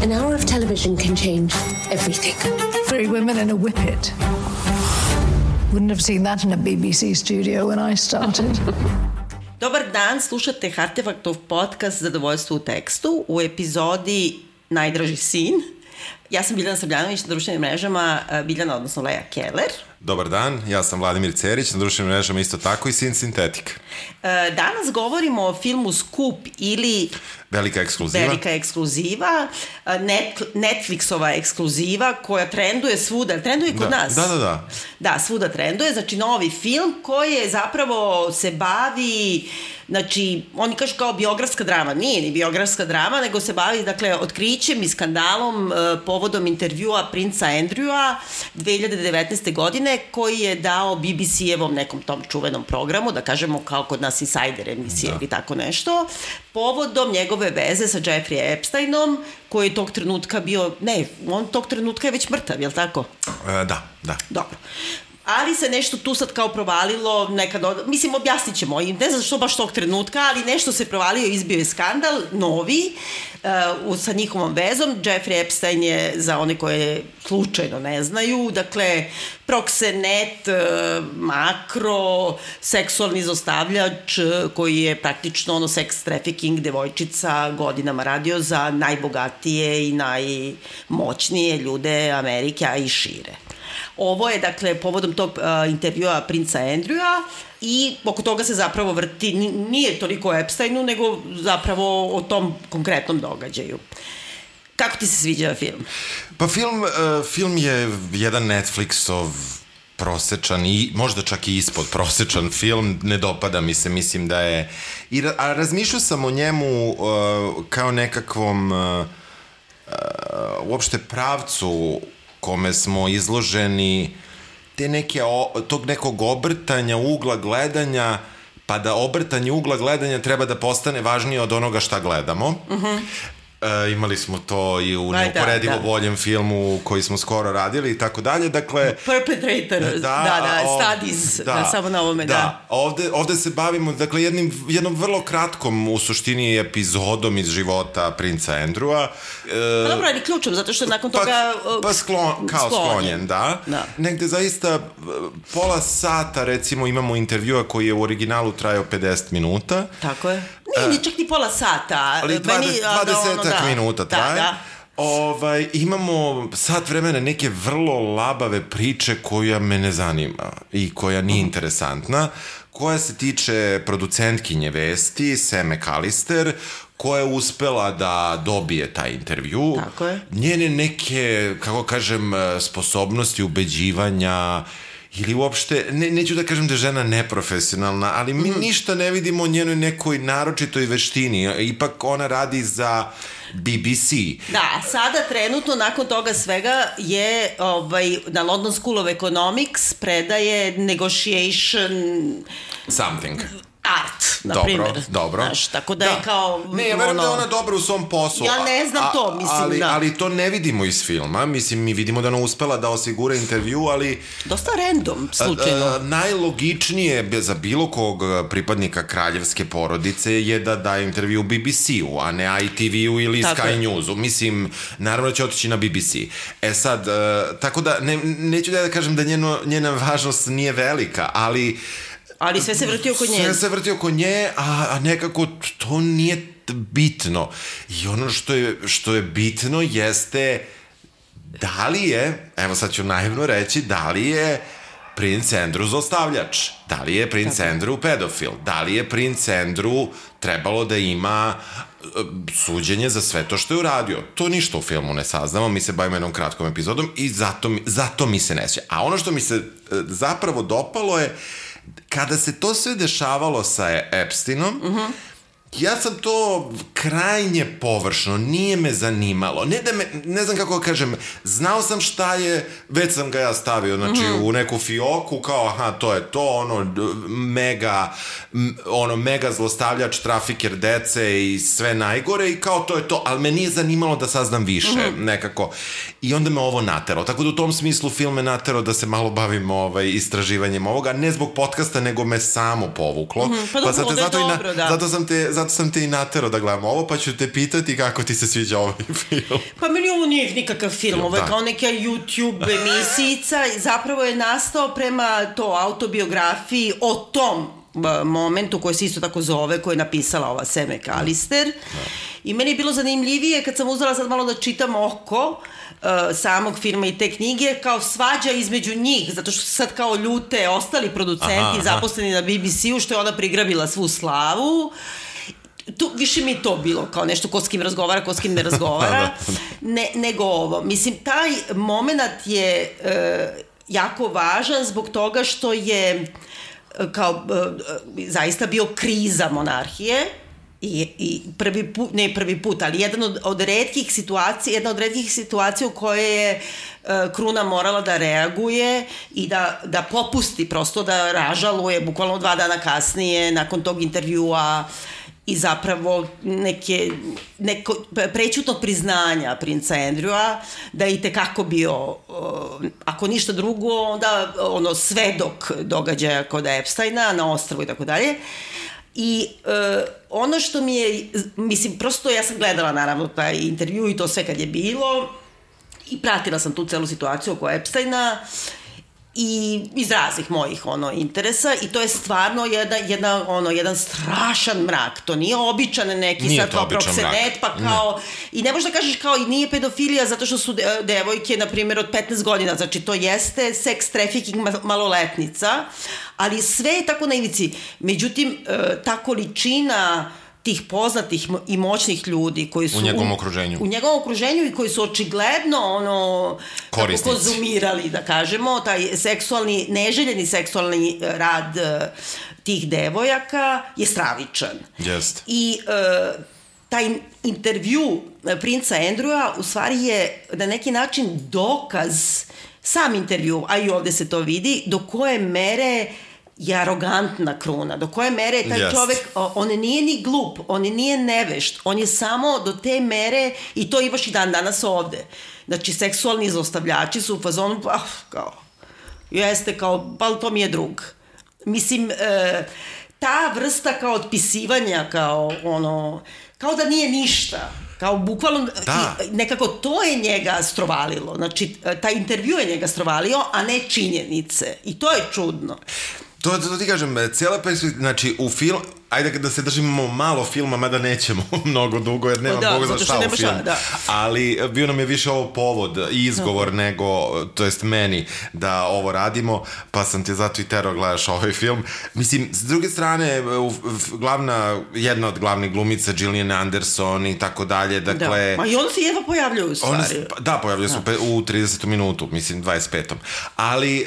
An hour of television can change everything. 3 women in a whippet. Wouldn't have seen that in a BBC studio when I started. Dobar dan, slušate Hartefaktov podcast Zadovoljstvo u tekstu u epizodi Najdraži sin. Ja sam Biljana Srbljanović, na društvenim mrežama Biljana, odnosno Lea Keller. Dobar dan, ja sam Vladimir Cerić, na društvenim mrežama isto tako i sin Sintetik. Danas govorimo o filmu Skup ili Velika ekskluziva, Netflixova ekskluziva koja trenduje svuda, trenduje kod nas. Da. Da, svuda trenduje, znači novi film koji je zapravo se bavi, znači oni kažu kao biografska drama, nije ni biografska drama, nego se bavi, dakle, otkrićem i skandalom povodom intervjua princa Andrewa 2019. godine koji je dao BBC-evom nekom tom čuvenom programu, da kažemo kao kod nas Insider emisije ili tako nešto, povodom njegove veze sa Jeffrey Epsteinom, koji je tog trenutka bio, on tog trenutka je već mrtav, je li tako? Da. Dobro. Ali se nešto tu sad kao provalilo, mislim, objasnit ćemo, ne znam što baš tog trenutka, ali nešto se provalio, izbio je skandal, novi, sa njihovom vezom. Jeffrey Epstein je, za one koje slučajno ne znaju, dakle, proxenet, makro, seksualni zlostavljač, koji je praktično sex trafficking devojčica godinama radio za najbogatije i najmoćnije ljude Amerike, a i šire. Ovo je, dakle, povodom tog intervjua princa Andrewa i oko toga se zapravo vrti, nije toliko o Epsteinu, nego zapravo o tom konkretnom događaju. Kako ti se sviđa film? Pa film je jedan Netflixov prosečan i možda čak i ispod prosečan film, ne dopada mi se, mislim da je... A razmišljao sam o njemu kao nekakvom uopšte pravcu kome smo izloženi tog nekog obrtanja ugla gledanja, pa da obrtanje ugla gledanja treba da postane važnije od onoga šta gledamo. Imali smo to i u neuporedivo boljem filmu koji smo skoro radili i tako dalje, dakle... Perpetrator, Studies, samo na ovome, da. Ovde se bavimo, dakle, jednom vrlo kratkom, u suštini, epizodom iz života princa Andrewa. Pa dobro, ali ključom, zato što je nakon toga... Kao sklonjen, da. Negde zaista pola sata, recimo, imamo intervjua koji je u originalu trajao 50 minuta. Tako je. Nije čak ni pola sata. Ali 20 minuta traje. Imamo sat vremena neke vrlo labave priče koja me ne zanima i koja nije interesantna, koja se tiče producentkinje vesti, Sam McAllister, koja je uspela da dobije taj intervju. Tako je. Njene neke, kako kažem, sposobnosti ubeđivanja ili uopšte, neću da kažem da je žena neprofesionalna, ali mi ništa ne vidimo o njenoj nekoj naročitoj veštini. Ipak ona radi za BBC. Da, sada trenutno nakon toga svega je na London School of Economics predaje negotiation something. Art, na primjer. Dobro. Znaš, tako da je kao... Ne, ja verujem da je ona dobra u svom poslu. Ja ne znam to, mislim, da. Ali to ne vidimo iz filma. Mislim, mi vidimo da ona uspela da osigura intervju, ali... Dosta random, slučajno. Najlogičnije za bilo kog pripadnika kraljevske porodice je da daje intervju BBC-u, a ne ITV-u ili Sky News-u. Mislim, naravno će otići na BBC. Sad, tako da, neću da kažem da njena važnost nije velika, ali sve se vrti oko nje. Sve se vrti oko nje, a nekako to nije bitno. I ono što je bitno jeste da li je, evo sad ću naivno reći, da li je princ Andrew zlostavljač, da li je princ Andrew pedofil, da li je princ Andrew trebalo da ima suđenje za sve to što je uradio. To ništa u filmu ne saznamo, mi se bavimo jednom kratkom epizodom i zato mi se ne sviđa. A ono što mi se zapravo dopalo je kada se to sve dešavalo sa Epsteinom, ja sam to krajnje površno, nije me zanimalo. Ne znam kako kažem, znao sam šta je, već sam ga ja stavio, znači, u neku fioku, kao, aha, to je to, mega zlostavljač, trafiker dece i sve najgore, i kao to je to, ali me nije zanimalo da saznam više, nekako. I onda me ovo nateralo. Tako da u tom smislu film me naterao da se malo bavim istraživanjem ovoga, ne zbog podcasta, nego me samo povuklo. Pa dobro, onda je dobro, da. zato sam te i naterao da gledam ovo, pa ću te pitati kako ti se sviđa ovaj film. Pa meni ovo nije nikakav film, ovo je kao neka YouTube emisijica, zapravo je nastao prema to autobiografiji o tom momentu koji se isto tako zove, koju je napisala ova Sam McAllister. I meni je bilo zanimljivije kad sam uzela sad malo da čitam oko samog filma i te knjige, kao svađa između njih, zato što su sad kao ljute ostali producenti zaposleni na BBC-u, što je ona prigrabila svu slavu. Tu, više mi je to bilo kao nešto ko s kim razgovara, ko s kim ne razgovara, nego ovo. Mislim, taj moment je jako važan zbog toga što je kao zaista bio kriza monarhije i prvi put, ali jedna od retkih situacija u kojoj je kruna morala da reaguje i da popusti, prosto da ražaluje bukvalno 2 dana kasnije nakon tog intervjua i zapravo neko prećutnog priznanja princa Andrewa da je itekako bio, ako ništa drugo, onda svedok događaja kod Epsteina na ostrvu i tako dalje. I ono što mi je, mislim, prosto ja sam gledala naravno taj intervju i to sve kad je bilo i pratila sam tu celu situaciju oko Epsteina i iz raznih mojih ono, interesa i to je stvarno jedan strašan mrak. To nije običan neki nije sad kao proksenet, pa kao... Ne. I ne možeš da kažeš kao i nije pedofilija zato što su devojke, na primjer, od 15 godina. Znači, to jeste seks trafficking maloletnica, ali sve je tako na ivici. Međutim, ta količina tih poznatih i moćnih ljudi koji su... U njegovom okruženju i koji su očigledno korisnici. Konzumirali, da kažemo, taj seksualni, neželjeni seksualni rad tih devojaka je stravičan. Jeste. I taj intervju princa Andrewa u stvari je na neki način dokaz, sam intervju, a i ovde se to vidi, do koje mere je arogantna kruna, do koje mere je taj čovek, on nije ni glup, on nije nevešt, on je samo do te mere, i to imaš i dan danas ovde. Znači, seksualni zlostavljači su u fazonu, kao, jeste kao, pa to mi je drug. Mislim, ta vrsta kao otpisivanja, kao da nije ništa, kao bukvalno, nekako to je njega strovalilo, znači, taj intervju je njega strovalio, a ne činjenice, i to je čudno. To ti kažem, cijela perspektiva, znači u film, ajde da se držimo malo filma, mada nećemo mnogo dugo, jer nema Boga za šta u film. Ali bio nam je više ovo povod i izgovor nego, to jest meni, da ovo radimo, pa sam te zato i terao gledaš ovaj film. Mislim, s druge strane, jedna od glavnih glumica, Gillian Anderson i tako dalje, dakle... Ma i onda se jedva pojavljuju u stvari. Da, pojavljuju se u 30. minutu, mislim, 25. Ali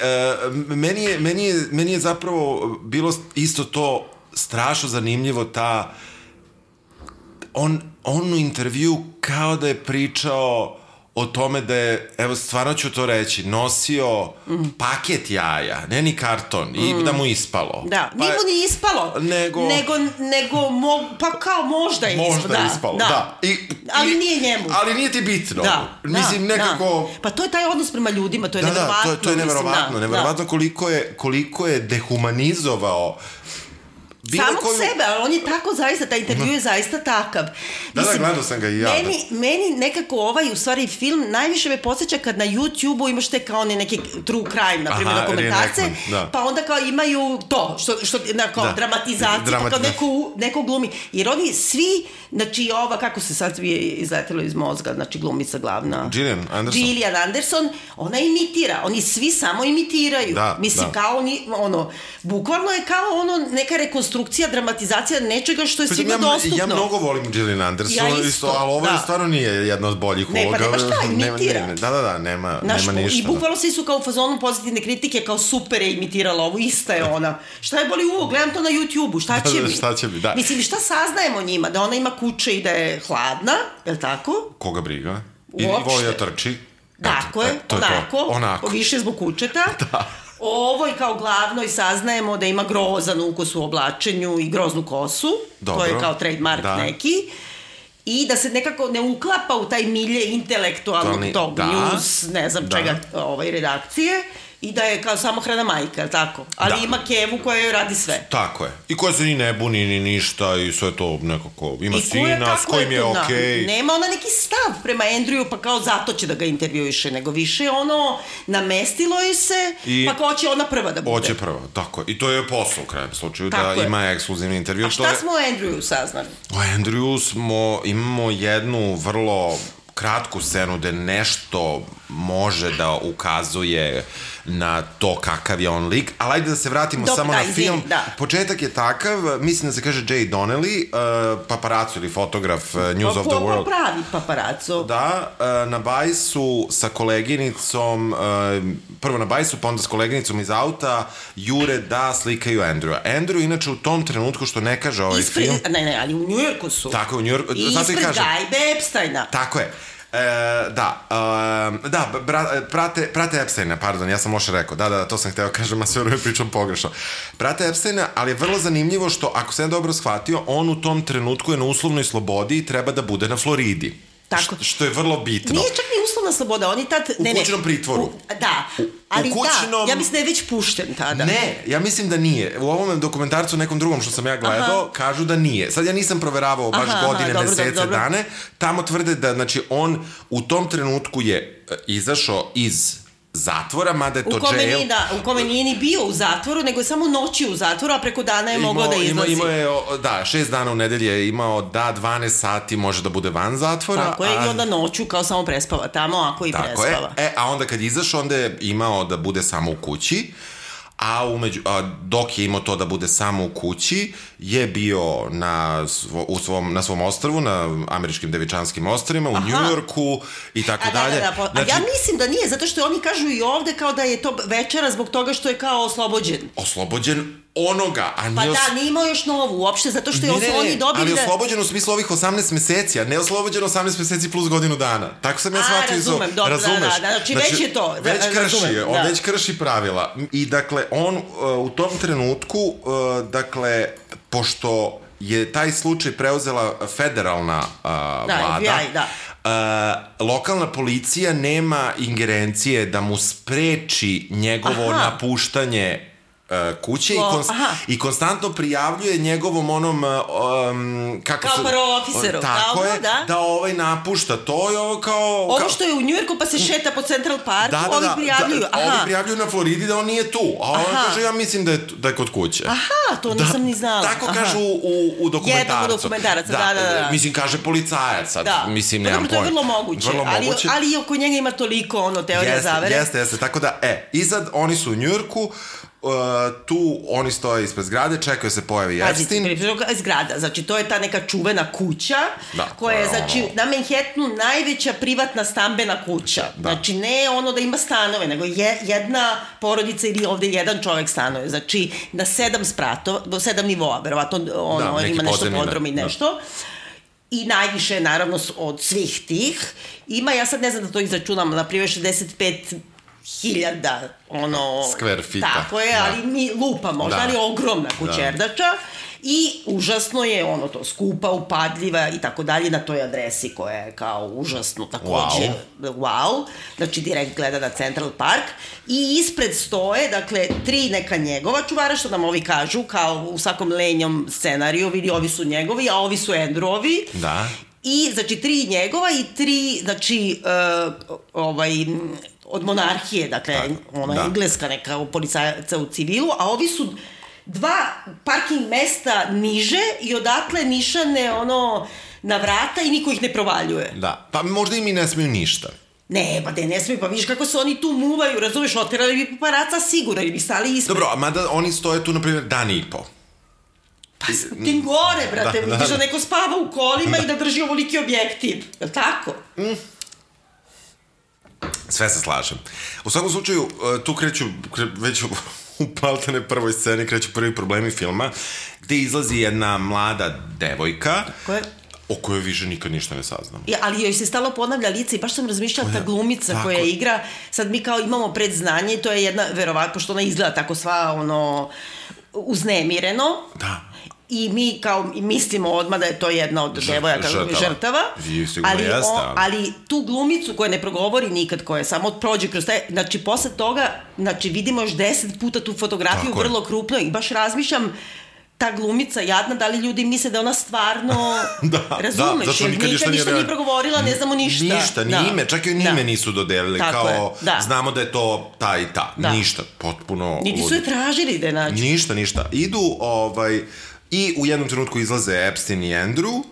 meni je zapravo bilo isto to strašno zanimljivo, on u intervju kao da je pričao o tome da je, evo stvarno ću to reći, nosio paket jaja, ne ni karton, i da mu ispalo. Da, nije mu ni ispalo, nego pa kao možda je ispalo. Možda je ispalo, da. Ali nije njemu. Ali nije ti bitno. Mislim, nekako... Pa to je taj odnos prema ljudima, to je neverovatno. To je neverovatno koliko je dehumanizovao samog sebe, ali on je tako zaista, taj intervju je zaista takav. Da, gledao sam ga i ja. Meni nekako u stvari film najviše me podsjeća kad na YouTube-u imaš te kao neke true crime, na primjer, dokumentarce, pa onda kao imaju to, što kao dramatizacija, pa kao neko glumi. Jer oni svi, znači ova, kako se sad izletelo iz mozga, znači glumica glavna. Gillian Anderson, ona imitira, oni svi samo imitiraju. Mislim, kao oni, bukvalno je kao neka rekonstrukcija, dramatizacija nečega što je svima dostupno. Ja mnogo volim Gillian Anderson, ali ovo stvarno nije jedna od boljih uloga. Ne, pa nema šta, imitira. Da, nema ništa. I bukvalno svi su kao u fazonu pozitivne kritike, kao super je imitirala ovo, ista je ona. Šta je boli uvo, gledam to na YouTube-u, šta će mi? Da. Mislim, šta saznajemo njima? Da ona ima kuće i da je hladna, je li tako? Koga briga? I voli da trči. Tako je, onako. Više zbog kućeta. Da. Ovo i kao glavno i saznajemo da ima grozan ukus u oblačenju i groznu kosu. To je kao trademark neki. I da se nekako ne uklapa u taj milje intelektualnog tog news, ne znam čega, redakcije. I da je kao samohrana majka, tako? Ali ima kevu koja joj radi sve. Tako je. I koja se ni ne buni, ni ništa i sve to nekako ima sina s kojim je okej. Nema ona neki stav prema Andrewu, pa kao zato će da ga intervjuiše, nego više ono namestilo je se, pa kao će ona prva da bude. Hoće prva, tako je. I to je posao u krajem slučaju, da ima ekskluzivni intervju. A šta smo o Andrewu saznali? O Andrewu imamo jednu vrlo kratku scenu gde nešto može da ukazuje na to kakav je on lik, ali ajde da se vratimo samo na film. Početak je takav, mislim da se kaže Jay Donnelly, paparaco ili fotograf News of the World. Pravi paparaco. Da, na bajsu sa koleginicom, prvo na bajsu, pa onda s koleginicom iz auta, jure da slikaju Andrewa. Andrew, inače, u tom trenutku, što ne kaže ovaj film... Ne, ali u Njujorku su. Tako je, u Njujorku. Ispred gajbe Epsteina. Tako je. Prate Epsteina, pardon, ja sam loše rekao, da, to sam hteo kažem, a sve vreme pričam pogrešno. Prate Epsteina, ali je vrlo zanimljivo što, ako sam dobro shvatio, on u tom trenutku je na uslovnoj slobodi i treba da bude na Floridi. Tako. Što je vrlo bitno. Nije čak ni uslovna sloboda, on je tad... U kućnom pritvoru. Da, ali ja mislim da je već pušten tada. Ne, ja mislim da nije. U ovom dokumentarcu, nekom drugom što sam ja gledao, kažu da nije. Sad ja nisam proveravao baš godine, mesece, dane. Tamo tvrde da, znači, on u tom trenutku je izašao iz zatvora, mada je to jail. U kome nije ni bio u zatvoru, nego je samo noći u zatvoru, a preko dana je mogao da izlazi. Imao je, 6 dana u nedelji je imao, 12 sati može da bude van zatvora. Tako je, i onda noću kao samo prespava tamo, ako i prespava. A onda kad izašao, onda je imao da bude samo u kući, dok je imao to da bude samo u kući, je bio na svom ostrvu, na američkim Devičanskim ostrvima, u Njujorku i tako dalje. A ja mislim da nije, zato što oni kažu i ovde kao da je to večera zbog toga što je kao oslobođen. Oslobođen onoga, a nije... Pa da, nije imao još novu uopšte, zato što je oni dobili ali oslobođen u smislu ovih 18 meseci, a ne oslobođen 18 meseci plus godinu dana. Tako sam ja shvatio. Razumeš? Znači, već je to. On već krši pravila. I dakle, on u tom trenutku, dakle, pošto je taj slučaj preuzela federalna vlada, lokalna policija nema ingerencije da mu spreči njegovo napuštanje kuće i konstantno prijavljuje njegovom onom kao parol-oficeru. Tako je, da ovaj napušta to i ovo kao... Ovo što je u Njujorku pa se šeta po Central Parku, ovi prijavljuju. Ovi prijavljuju na Floridi da on nije tu, a on kaže ja mislim da je kod kuće. To nisam ni znala. Tako kažu u dokumentarcu. Jednom u dokumentarcu, da. Mislim, kaže policajac sad, mislim, nemam pojma. To je vrlo moguće, ali oko njega ima toliko teorija zavere. Jeste, tako da, i sad oni su u Njujorku, tu oni stoje ispred zgrade, čekaju se pojavi Epstein. Zgrada, znači to je ta neka čuvena kuća koja je, znači, na Manhattanu najveća privatna stambena kuća. Znači, ne ono da ima stanove, nego jedna porodica ili ovde jedan čovek stanuje. Znači, na 7 spratova, 7 nivoa, verovatno ima nešto podrum i nešto. I najviše, naravno, od svih tih. Ima, ja sad ne znam da to izračunam, na primjer 65.000 square feet. Tako je, ali ni lupa možda, ali ogromna kućerdača i užasno je to skupa, upadljiva i tako dalje na toj adresi koja je kao užasno takođe wow, znači direkt gleda na Central Park i ispred stoje, dakle, 3 neka njegova čuvara, što nam ovi kažu, kao u svakom lenjom scenariju, vidi ovi su njegovi, a ovi su Andrewovi. Da. I, znači, 3 njegova i 3, znači, od monarhije, dakle, engleska neka policajaca u civilu, a ovi su 2 parking mesta niže i odatle nišane na vrata i niko ih ne provaljuje. Da, pa možda im i ne smiju ništa. Ne, pa ne smiju, pa vidiš kako se oni tu muvaju, razumeš, oterali bi paparaca sigurno, ili bi stali ispred. Dobro, a mada oni stoje tu, na primjer, dan i po. Pa tim gore, brate, vidiš da neko spava u kolima i da drži ovoliki objektiv, je li tako? Sve se slažem. U svakom slučaju, tu kreću već u paltene prvoj sceni, kreću prvi problemi filma, gde izlazi jedna mlada devojka, o kojoj više nikad ništa ne saznam. Ali joj se stalo ponavlja lice i baš sam razmišljala ta glumica koja igra, sad mi kao imamo predznanje i to je jedna, verovatno, pošto ona izgleda tako sva uznemireno. Da. I mi kao mislimo odmah da je to jedna od devojaka žrtava, ali tu glumicu koja ne progovori nikad, koja samo prođe kroz taj, znači posle toga, znači vidimo još 10 puta tu fotografiju vrlo krupno i baš razmišljam ta glumica jadna, da li ljudi misle da ona stvarno razumeš, jer nikad ništa nije progovorila, ne znamo ništa. Ništa, ni ime, čak i ime nisu dodelili, kao znamo da je to ta i ta, ništa, potpuno... Niti su je tražili da je nađu. Ništa, idu, i u jednom trenutku izlaze Epstein i Andrew,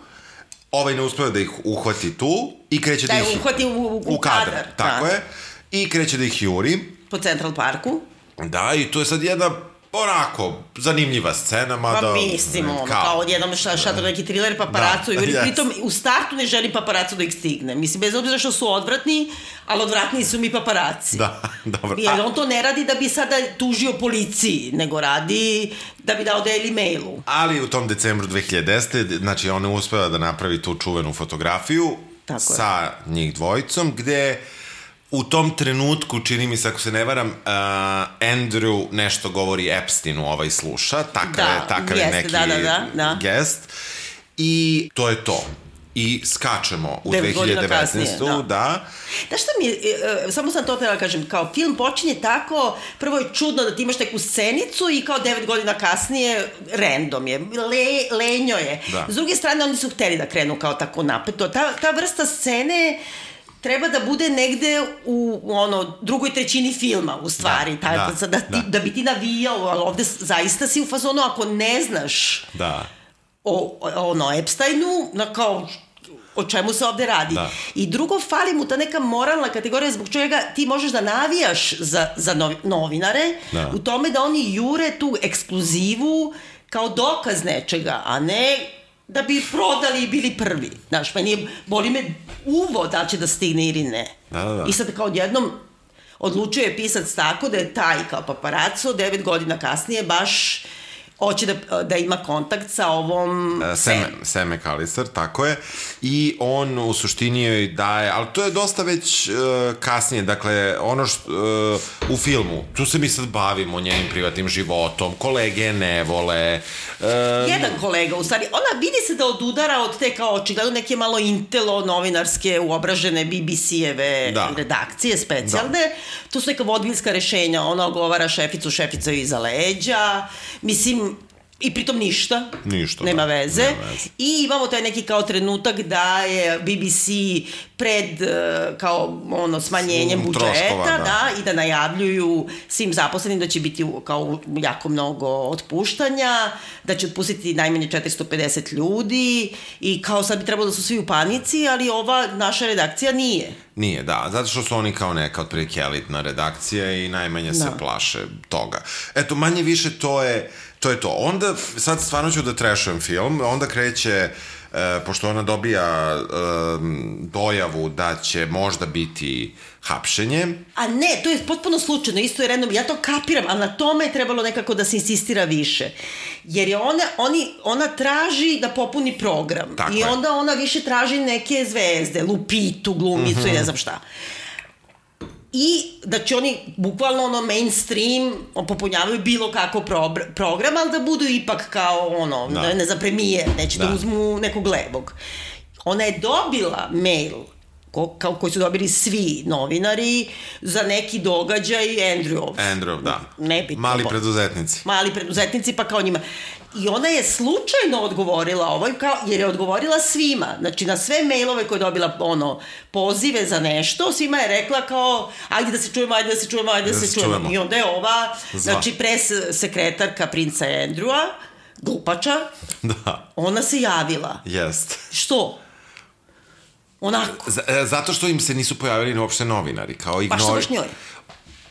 ne uspeva da ih uhvati tu i kreće da ih... Da uhvati u kadar. Tako je, i kreće da ih juri. Po Central Parku. Da, i to je sad jedna... onako, zanimljiva scena, mada... Pa mislim, kao odjednom šator neki thriller paparacu, pritom u startu ne želi paparacu da ih stigne. Mislim, bez obzira što su odvratni, ali odvratni su mi paparaci. Da, dobro. Jer on to ne radi da bi sada tužio policiji, nego radi da bi dao Daily Mailu. Ali u tom decembru 2010. znači ona uspela da napravi tu čuvenu fotografiju sa njih dvojicom, gde... U tom trenutku, čini mi se, ako se ne varam, Andrew nešto govori Epsteinu, sluša, takav je neki gest. I to je to. I skačemo u 2019. Da. Znaš šta mi je, samo sam to htjela kažem, kao film počinje tako, prvo je čudno da ti imaš neku scenicu i kao 9 godina kasnije random je, lenjo je. S druge strane, oni su hteli da krenu kao tako napeto. Ta vrsta scene... treba da bude negde u drugoj trećini filma, u stvari, da bi ti navijao, ali ovde zaista si u fazonu, ako ne znaš o Epsteinu, kao o čemu se ovde radi. I drugo, fali mu ta neka moralna kategorija zbog čega ti možeš da navijaš za novinare, u tome da oni jure tu ekskluzivu kao dokaz nečega, a ne... da bi prodali i bili prvi. Znaš, boli me uvo da će da stigne ili ne. I sad kao odjednom odlučio je pisac tako da je taj kao paparaco 9 godina kasnije baš hoće da ima kontakt sa ovom Sam McAllister, tako je. I on u suštini joj daje, ali to je dosta već kasnije, dakle, ono što u filmu, tu se mi sad bavimo njenim privatnim životom, kolege ne vole. Jedan kolega, u stvari, ona vidi se da odudara od te kao očigledno neke malo intelo novinarske uobražene BBC-eve redakcije specijalne. Tu su neka vodbiljska rešenja, ona ogovara šefica iza leđa, mislim, i pritom ništa, nema veze. I imamo taj neki kao trenutak da je BBC pred kao smanjenjem budžeta i da najavljuju svim zaposlenim da će biti kao jako mnogo otpuštanja, da će otpustiti najmanje 450 ljudi i kao sad bi trebalo da su svi u panici, ali ova naša redakcija nije. Nije, da, zato što su oni kao neka otprilike elitna redakcija i najmanje se plaše toga. Eto, manje više to je to. Onda, sad stvarno ću da trešujem film, onda kreće, pošto ona dobija dojavu da će možda biti hapšenje. A ne, to je potpuno slučajno, isto je random, ja to kapiram, ali na tome je trebalo nekako da se insistira više. Jer je ona traži da popuni program. I onda ona više traži neke zvezde, Lupitu, glumicu i ne znam šta. I da će oni bukvalno mainstream popunjavaju bilo kako program, ali da budu ipak kao ne znam, premijer, neće da uzmu nekog levog. Ona je dobila mail koji su dobili svi novinari za neki događaj Andrew, da. Mali preduzetnici, pa kao njima. I ona je slučajno odgovorila jer je odgovorila svima. Znači, na sve mailove koje je dobila pozive za nešto, svima je rekla kao, ajde da se čujemo. I onda je ova, znači, pres sekretarka princa Andrewa, glupača, ona se javila. Jest. Što? Onako. Zato što im se nisu pojavili uopšte novinari. Pa što baš njoj?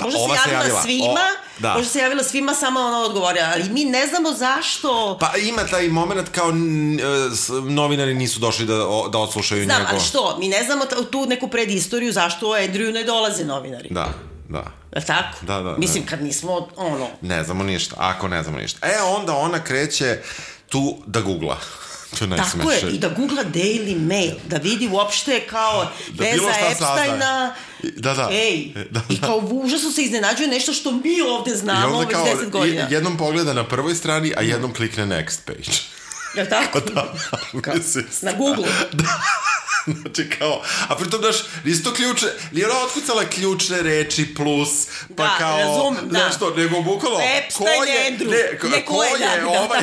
Možda se javila svima, možda se javila svima, samo ona odgovorila, ali mi ne znamo zašto. Pa ima taj moment kao novinari nisu došli da odslušaju njegov. Znam, ali što? Mi ne znamo tu neku predistoriju zašto o Andrewu ne dolaze novinari. Da. Je tako? Da. Mislim, kad nismo, Ne znamo ništa, ako ne znamo ništa. Onda ona kreće tu da googla. Tako je, i da googla Daily Mail, da vidi uopšte kao veza Epsteina. I kao u užasu se iznenađuje nešto što mi ovde znamo već 10 godina. Jednom pogleda na prvoj strani, a jednom klikne next page. Je li tako? Na Google. Znači kao, a pritom daš, nisi to ključne, nije ona otkucala ključne reči plus, pa da, kao, razum, nešto, nego bukalo, ko je ovaj,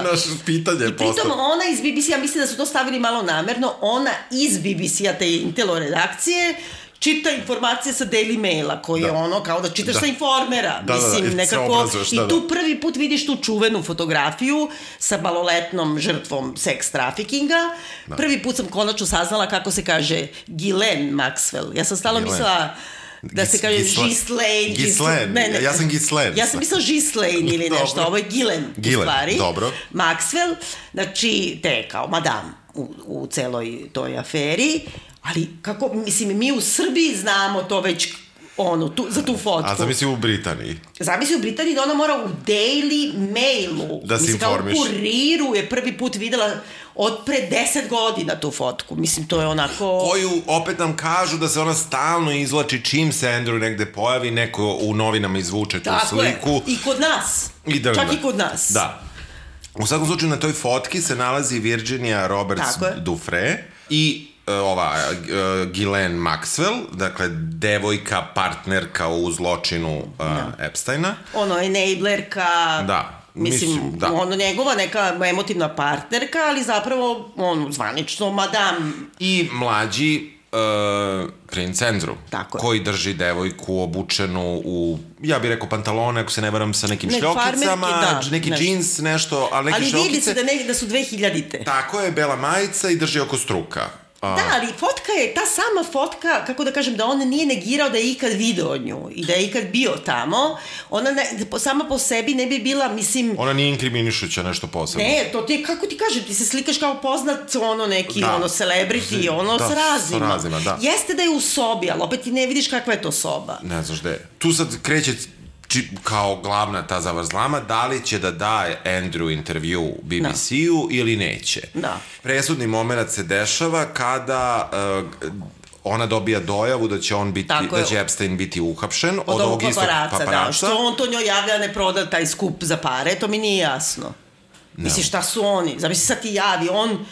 naš pitanje i pritom ona iz BBC-a, mislim da su to stavili malo namerno, ona iz BBC-a, te Intelo redakcije, čita informacije sa Daily Maila, koji je ono kao da čitaš sa Informera. Mislim, nekako, i tu prvi put vidiš tu čuvenu fotografiju sa maloletnom žrtvom seks trafikinga. Prvi put sam konačno saznala kako se kaže Ghislaine Maxwell. Ja sam stalno mislila da se kaže Ghislaine. Ja sam Ghislaine. Ja sam mislila Ghislaine ili nešto, ovo je Ghislaine u stvari. Dobro. Maxwell, znači, te kao madame u celoj toj aferi. Ali, kako, mislim, mi u Srbiji znamo to već, za tu fotku. A zamisli u Britaniji. Zamisli u Britaniji da ona mora u Daily Mailu. Da se informiš. Kao u Kuriru je prvi put videla od pre 10 godina tu fotku. Mislim, to je onako... Koju opet nam kažu da se ona stalno izvlači čim se Andrew negde pojavi, neko u novinama izvuče tu sliku. Tako je. I kod nas. Čak i kod nas. Da. U svakom slučaju na toj fotki se nalazi Virginia Roberts Dufresne i ova Ghislaine Maxwell, dakle devojka, partnerka u zločinu Epsteina. Enablerka. Da. Mislim, njegova neka emotivna partnerka, ali zapravo zvanično madame. I mlađi princ Andrew, koji drži devojku obučenu u, ja bih rekao, pantalone, ako se ne varam, sa nekim šljokicama, neki džins, nešto, ali neke šljokice. Ali vidi se da su 2000-te. Tako je, bela majica i drži oko struka. Da, ali fotka je, ta sama fotka, kako da kažem, da on nije negirao da je ikad video nju i da je ikad bio tamo, ona sama po sebi ne bi bila, mislim... Ona nije inkriminišuća nešto posebno. Ne, to ti, kako ti kažem, ti se slikaš kao poznat, neki, celebrity, sa razima. Sa razima, da. Jeste da je u sobi, ali opet ti ne vidiš kakva je to soba. Ne znaš gde je. Tu sad kreće kao glavna ta zavrzlama, da li će da daje Andrew intervju BBC-u ili neće. Da. Presudni moment se dešava kada ona dobija dojavu da će da će Epstein biti uhapšen od ovog istog paparaca. Da, što on to njoj javlja ne proda taj skup za pare, to mi nije jasno. Misliš, šta su oni? Zamisli, sad ti javi, on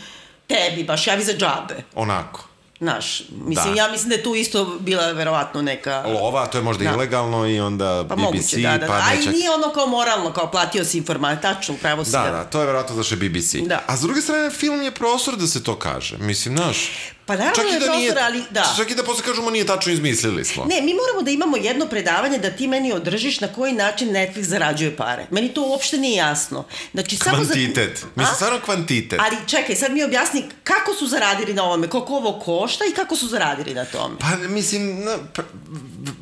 tebi baš javi za džabe. Onako. Znaš, mislim, ja mislim da je tu isto bila verovatno neka... Lova, to je možda ilegalno i onda BBC... Moguće, a i nije ono kao moralno, kao platio si informaciju, tačno, pravo si... Da, to je verovatno zašto je BBC. A s druge strane, film je prostor da se to kaže. Mislim, znaš... Pa naravno je prostor, ali da. Čak i da posle kažemo nije tačno, izmislili smo. Ne, mi moramo da imamo jedno predavanje da ti meni održiš na koji način Netflix zarađuje pare. Meni to uopšte nije jasno. Znači, kvantitet. Mislim, stvarno kvantitet. Ali čekaj, sad mi objasni kako su zaradili na ovome, koliko ovo košta i kako su zaradili na tome. Pa, mislim,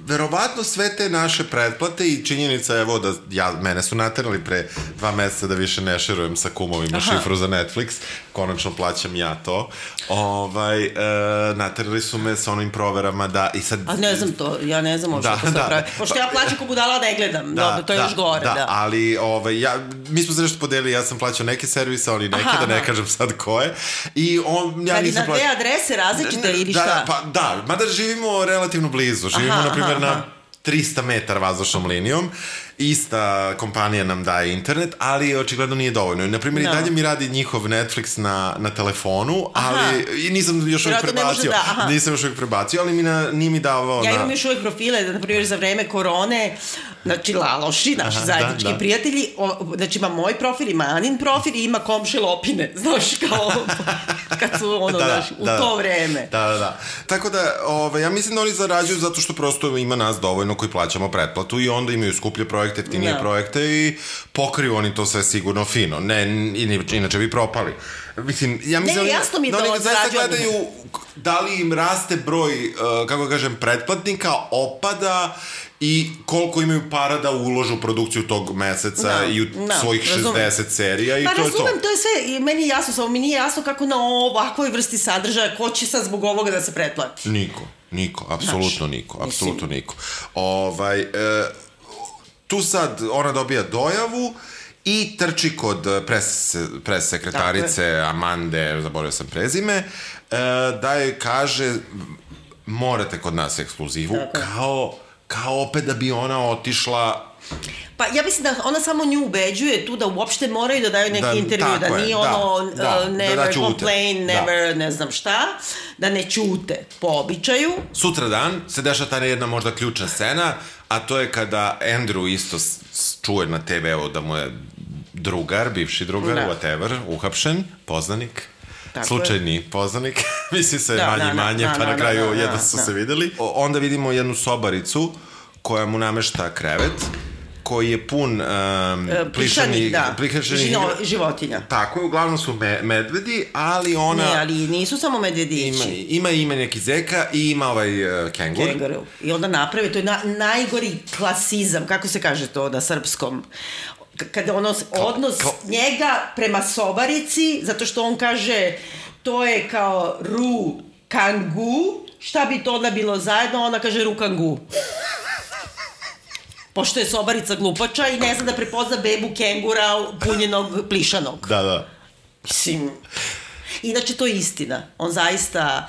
verovatno sve te naše pretplate i činjenica, evo, da mene su naterali pre 2 meseca da više ne šerujem sa kumovima šifru za Netflix. Konačno plaćam ja to. Naterali su me sa onim proverama da i sad... A ne znam to, ja ne znam možda to pravi. Pošto ja plaćam ko budala ne gledam, to je još gore. Da, ali mi smo se nešto podelili, ja sam plaćao neke servise, ali neke, da ne kažem sad koje. I ja nisam plaćao... Na te adrese različite ili šta? Da, mada živimo relativno blizu, živimo na primjer na 300 metara vazdušnom linijom, ista kompanija nam daje internet, ali očigledno nije dovoljno. Naprimjer, i dalje mi radi njihov Netflix na telefonu, ali i nisam još uvijek prebacio, ali nije mi davao... Ja imam još uvijek profile, naprimjer, za vreme korone, znači Laloši, naši zajednički prijatelji, znači ima moj profil, ima Anin profil i ima komši Lopine, znaš, kao kad su u to vreme. Da. Tako da, ja mislim da oni zarađuju zato što prosto ima nas dovoljno koji plaćamo pretplatu i onda imaju skuplje projekte, jeftinije projekte i pokriju oni to sve sigurno fino. Ne, inače bi propali. Mislim, ja mislim jasno mi da oni zaista gledaju da li im raste broj, kako kažem, pretplatnika, opada i koliko imaju para da uložu u produkciju tog meseca i u svojih 60 serija i to je to. Pa razumem, to je sve, meni je jasno, samo mi nije jasno kako na ovakvoj vrsti sadržaja, ko će sad zbog ovoga da se pretplati? Niko, apsolutno niko. Tu sad ona dobija dojavu i trči kod pres sekretarice Amande, zaboravio sam prezime, da joj kaže morate kod nas ekskluzivu, kao opet da bi ona otišla Pa ja mislim da ona samo nju ubeđuje tu da uopšte moraju da daju neki intervju, da nije never complain, never ne znam šta, da ne ćute po običaju. Sutra dan se dešava ta jedna možda ključna scena, a to je kada Andrew isto čuje na TV-u da mu je drugar, bivši drugar, whatever, uhapšen, poznanik, slučajni poznanik, misli se manje, pa na kraju jedno su se videli. Onda vidimo jednu sobaricu koja mu namešta krevet, koji je pun plišanih životinja. Tako je, uglavnom su medvedi, ali ona... Ne, ali nisu samo medvedići. Ima neki zeka i ima ovaj kengur. I onda napravi, to je najgori klasizam, kako se kaže to na srpskom, kada odnos njega prema sobarici, zato što on kaže to je kao ru kangu, šta bi to onda bilo zajedno, ona kaže ru kangu. Pošto je sobarica glupača i ne zna da prepozna bebu kengura punjenog plišanog. Da. Mislim... Inače, to je istina. On zaista,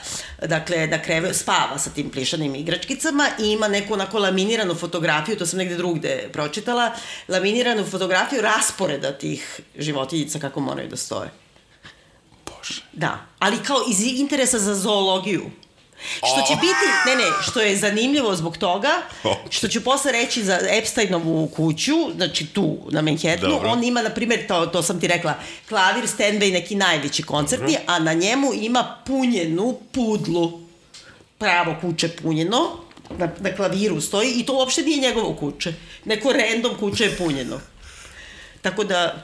dakle, spava sa tim plišanim igračkicama i ima neku onako laminiranu fotografiju, to sam negde drugde pročitala, laminiranu fotografiju rasporeda tih životinjica kako moraju da stoje. Bože. Da, ali kao iz interesa za zoologiju. Što će biti, što je zanimljivo zbog toga, što ću posle reći za Epsteinovu kuću, znači tu na Manhattanu, on ima, na primjer, to sam ti rekla, klavir, Steinway, neki najveći koncertni, a na njemu ima punjenu pudlu, pravo kuće punjeno, na klaviru stoji i to uopšte nije njegovo kuće, neko random kuće je punjeno. Tako da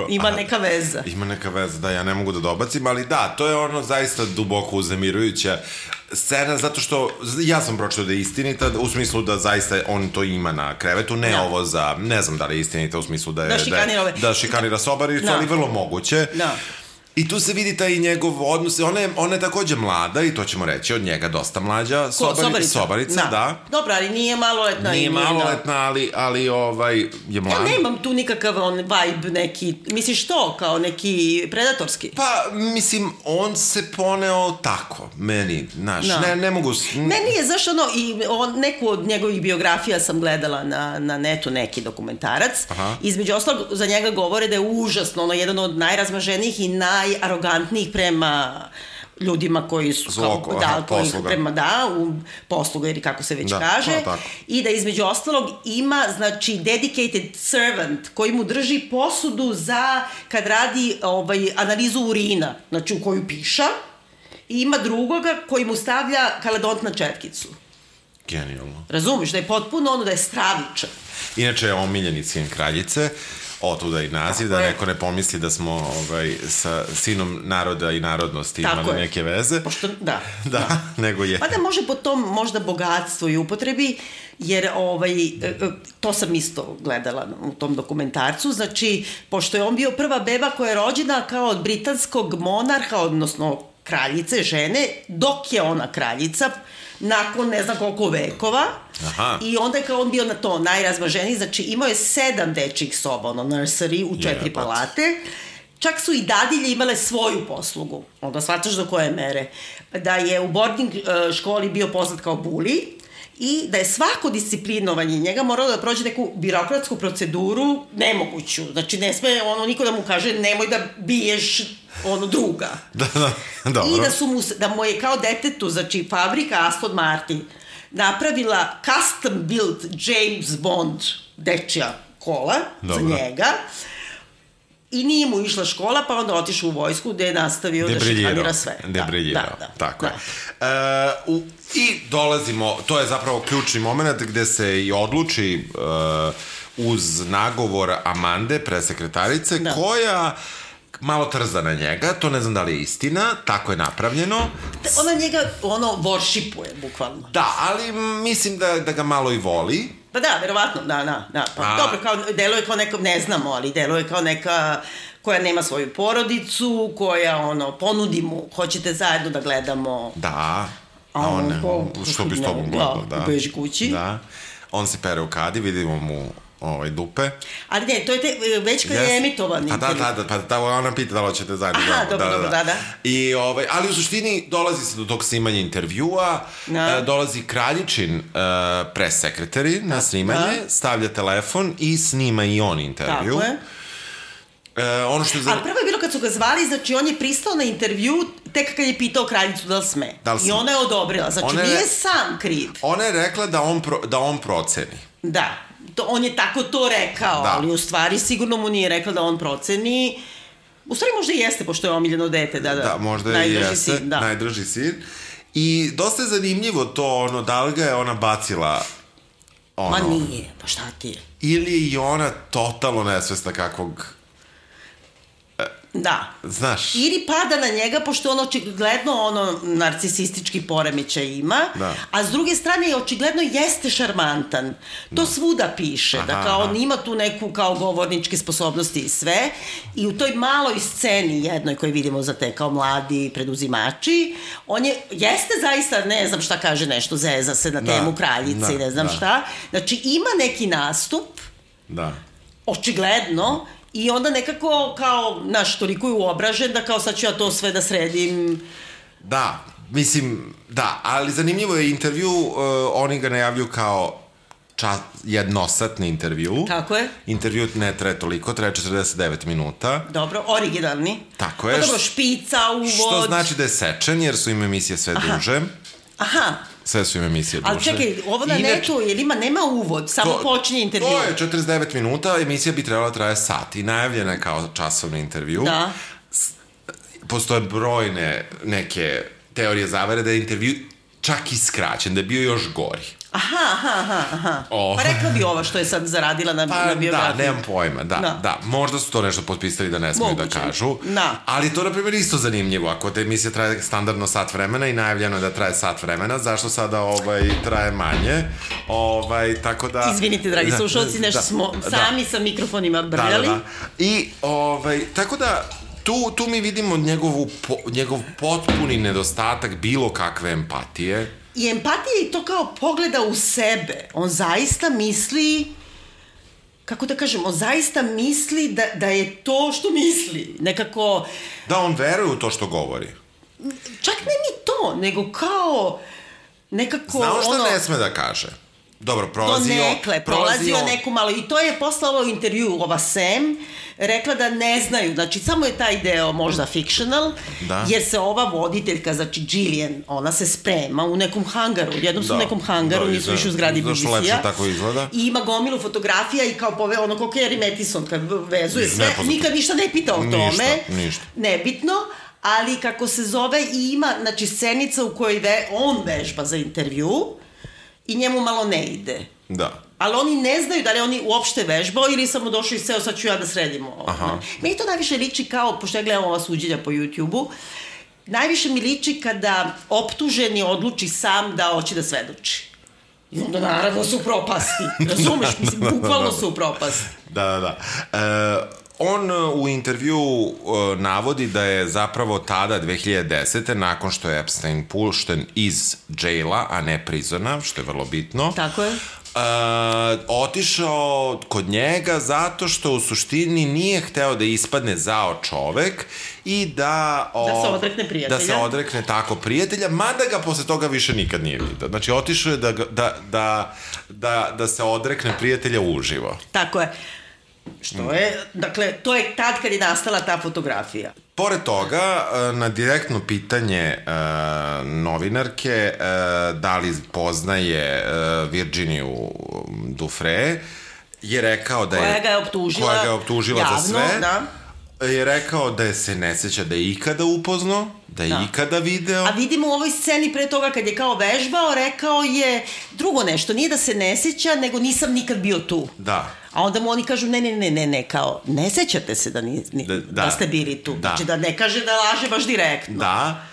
ima neka veza. Ima neka veza, da, ja ne mogu da dobacim, ali da, to je ono zaista duboko uznemirujuća scena, zato što ja sam pročitao da je istinita, u smislu da zaista on to ima na krevetu, ne ovo za, ne znam da li je istinita u smislu da šikanira sobaricu, ali vrlo moguće. Da. I tu se vidi taj njegov odnos, ona je takođe mlada i to ćemo reći, od njega dosta mlađa, sobarica, da. Dobro, ali nije maloletna. Nije maloletna, ali je mlada. Ja nemam tu nikakav vibe neki, misliš to, kao neki predatorski? Pa, mislim, on se poneo tako, meni, znaš, ne mogu... Meni je, znaš, neku od njegovih biografija sam gledala na netu, neki dokumentarac, između ostalog za njega govore da je užasno, jedan od najrazmaženijih i najarogantnijih prema ljudima koji su u posluga ili kako se već kaže, i da između ostalog ima, znači, dedicated servant koji mu drži posudu za kad radi analizu urina, znači u koju piša, i ima drugoga koji mu stavlja kaledont na četkicu. Genijalno. Razumiješ, da je potpuno da je stravičan. Inače je omiljeni sin kraljice, otuda i naziv, da neko ne pomisli da smo sa sinom naroda i narodnosti imali neke veze. Da, nego je. Pa da može po tom možda bogatstvu i upotrebi, jer to sam isto gledala u tom dokumentarcu, znači, pošto je on bio prva beba koja je rođena kao od britanskog monarha, odnosno kraljice, žene, dok je ona kraljica, nakon ne znam koliko vekova. I onda je kao on bio na to najrazmaženiji, znači imao je 7 dečjih soba, nursery u 4 palate, čak su i dadilje imale svoju poslugu, onda shvataš do koje mere, da je u boarding školi bio poznat kao bully i da je svako disciplinovanje njega moralo da prođe neku birokratsku proceduru nemoguću, znači ne sme niko da mu kaže nemoj da biješ druga. Dobro. I da mu je kao detetu, znači fabrika Aston Martin napravila custom built James Bond dečja kola za njega i nije mu išla škola, pa onda otišao u vojsku gde je nastavio da šikanira sve. Debriljirao, tako je. I dolazimo, to je zapravo ključni moment gde se i odluči uz nagovor Amande, presekretarice, koja malo trza na njega, to ne znam da li je istina, tako je napravljeno. Ona njega, worshipuje, bukvalno. Da, ali mislim da ga malo i voli. Pa da, verovatno, da. Pa dobro, deluje kao neka, ne znamo, ali deluje kao neka koja nema svoju porodicu, koja, ponudi mu, hoćete zajedno da gledamo. Da, a on, što bi s tobom gledao, da. U beži kući. Da, on se pere u kadi, vidimo mu dupe. Ali ne, to je već kad je emitovan intervju. Da, ona pita da li ćete zajedno. Aha, dobro, da. I, ali u suštini dolazi se do tog snimanja intervjua, dolazi kraljičin pres sekretari na snimanje, stavlja telefon i snima i on intervju. Tako je. Ono što je Ali prvo je bilo kad su ga zvali, znači on je pristao na intervju tek kad je pitao kraljicu da li sme. I ona je odobrila, znači nije sam kriv. Ona je rekla da on proceni. Da, on je tako to rekao, ali u stvari sigurno mu nije rekla da on proceni. U stvari možda i jeste, pošto je omiljeno dete. Da, možda i jeste, najdraži sin. I dosta je zanimljivo to, da li ga je ona bacila Ma nije, pa šta ti je? Ili je i ona totalno nesvesna kakvog... Da. Znaš. Ili pada na njega, pošto on očigledno narcisistički poremećaj ima, a s druge strane očigledno jeste šarmantan. To svuda piše, da kao on ima tu neku kao govorničke sposobnosti i sve, i u toj maloj sceni jednoj koju vidimo za te kao mladi preduzimači, on jeste zaista, ne znam šta kaže, nešto zeza se na temu kraljice i ne znam šta. Znači ima neki nastup, očigledno, i onda nekako kao, znaš, toliko je uobražen da kao sad ću ja to sve da sredim. Da, mislim, ali zanimljivo je intervju, oni ga najavljuju kao jednosatni intervju. Tako je. Intervju ne traje toliko, traje 49 minuta. Dobro, originalni. Tako je. Pa dobro, špica, uvod. Što znači da je sečen, jer su im emisije sve duže. Aha. Sve su im emisije duže. Ali čekaj, ovo na netu, jer nema uvod, samo počinje intervju. To je 49 minuta, emisija bi trebala traje sat i najavljena je kao časovni intervju. Da. Postoje brojne neke teorije zavere da je intervju čak i skraćen, da je bio još gori. Aha. Pa rekla bi ova što je sad zaradila na biografiju. Da, nemam pojma, da. Možda su to nešto potpisali da ne smiju da kažu. Ali to, na primjer, isto zanimljivo. Ako te emisija traje standardno sat vremena i najavljeno je da traje sat vremena, zašto sada traje manje? Tako da... Izvinite, dragi slušalci, nešto smo sami sa mikrofonima brljali. Da. I, tako da... Tu mi vidimo njegov potpuni nedostatak bilo kakve empatije. I empatija je to kao pogleda u sebe. On zaista misli, kako da kažem, on zaista misli da je to što misli. Nekako... Da, on veruje u to što govori. Čak ne ni to, nego kao nekako... Znao što ne sme da kaže. Dobro, prolazio neku malo. I to je posle ovo intervju, ova Sam, rekla da ne znaju, znači samo je taj deo možda fictional, jer se ova voditeljka, znači Gillian, ona se sprema u nekom hangaru, jednom su u nekom hangaru, nisu više u zgradi BBC-a, i ima gomilu fotografija i kao ono kao Carrie Mathison kad vezuje sve, nikad ništa ne pita o tome, nebitno, ali kako se zove, i ima, znači, scenica u kojoj on vežba za intervju i njemu malo ne ide. Da. Ali oni ne znaju da li oni uopšte vežbao ili samo došao i seo, sad ću ja da sredim ovo. Meni to najviše liči kao, pošto ja gledam ova suđenja po YouTube-u, najviše mi liči kada optuženi odluči sam da hoće da svedoči. I onda naravno su propasti. Razumeš? Mislim, bukvalno su propasti. Da. On u intervju navodi da je zapravo tada, 2010. nakon što je Epstein pušten iz jaila, a ne prizona, što je vrlo bitno. Tako je. Otišao kod njega zato što u suštini nije hteo da ispadne zao čovek i da se odrekne prijatelja. Da se odrekne tako prijatelja, mada ga posle toga više nikad nije vidio. Znači, otišao je da se odrekne prijatelja uživo. Tako je. Što je, dakle, to je tad kad je nastala ta fotografija. Pored toga, na direktno pitanje novinarke da li poznaje Virginiju Giuffre, je rekao da je... Koja ga je optužila javno, za sve. Je rekao da se ne seća da je ikada upoznao, da je ikada video. A vidimo u ovoj sceni pre toga kad je kao vežbao, rekao je drugo nešto, nije da se ne seća, nego nisam nikad bio tu. Da. A onda mu oni kažu ne, kao ne sećate se da ste bili tu. Znači da ne kaže da laže baš direktno. Da.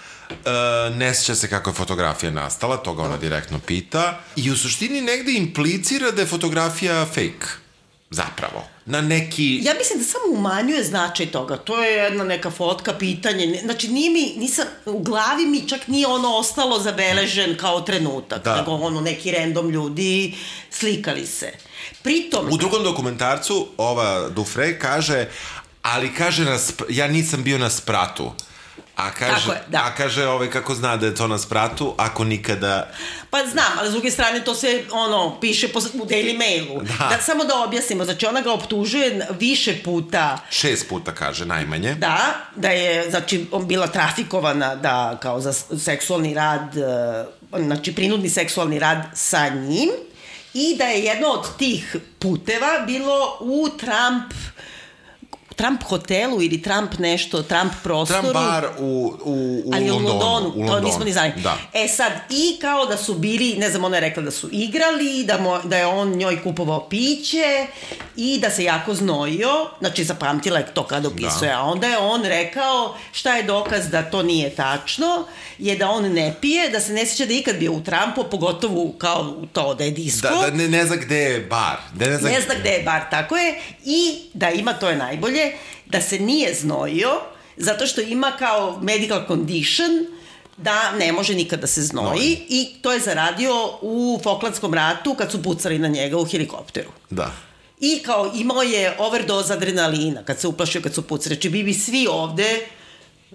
Ne sjeća se kako je fotografija nastala, to ga ona direktno pita. I u suštini negde implicira da je fotografija fake. zapravo. Na neki... Ja mislim da samo umanjuje značaj toga. To je jedna neka fotka, pitanje. Znači, u glavi mi čak nije ono ostalo zabeležen kao trenutak. Nego ono, neki random ljudi slikali se. Pritom... U drugom dokumentarcu ova Dufresne kaže, ali kaže, ja nisam bio na spratu. A kaže kako zna da je to na spratu, ako nikada... Pa znam, ali s druge strane to se piše u Daily Mailu. Samo da objasnimo, znači ona ga optužuje više puta. 6 puta kaže, najmanje. Da je, znači, bila trafikovana kao za seksualni rad, znači prinudni seksualni rad sa njim i da je jedno od tih puteva bilo u Trump hotelu ili Trump prostoru. Trump bar u ali Londonu. To nismo ni znali. Sad, i kao da su bili, ne znam, ona je rekla da su igrali, da je on njoj kupovao piće i da se jako znojio, znači zapamtila je to kada opisuje, a onda je on rekao šta je dokaz da to nije tačno, je da on ne pije, da se ne sjeća da je ikad bio u Trumpu, pogotovo kao to da je disko. Da ne zna gde je bar. Ne zna gde je bar, tako je, i da ima, to je najbolje, da se nije znojio, zato što ima kao medical condition da ne može nikad da se znoji i to je zaradio u Falklandskom ratu kad su pucali na njega u helikopteru. Da. I kao imao je overdose adrenalina kad se uplašio kad su pucali. Znači bi vi svi ovde,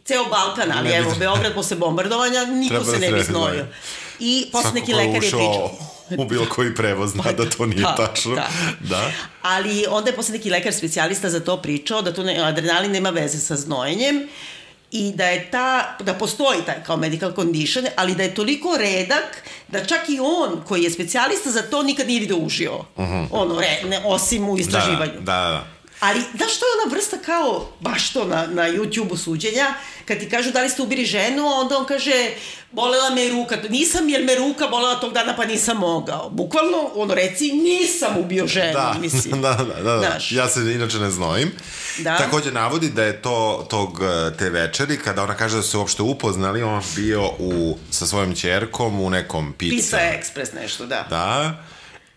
ceo Balkan, ali evo, Beograd posle bombardovanja, niko se ne bi znojio. I posle neki lekar je pričao. U bilo koji prevoz zna da to nije tačno. Da. Ali onda je posle neki lekar specijalista za to pričao, da adrenalin nema veze sa znojenjem i da postoji taj kao medical condition, ali da je toliko redak da čak i on koji je specijalista za to nikad nije video uživo. Osim u istraživanju. Da. Ali, znaš, to je ona vrsta kao, baš to na YouTube-u suđenja, kad ti kažu da li ste ubili ženu, onda on kaže, bolela me ruka, nisam jer me ruka bolela tog dana pa nisam mogao. Bukvalno, reci, nisam ubio ženu, mislim. Da. Ja se inače ne znojim. Takođe navodi da je te večeri, kada ona kaže da su se uopšte upoznali, on bio sa svojom ćerkom u nekom Pizza Express nešto, da. Da.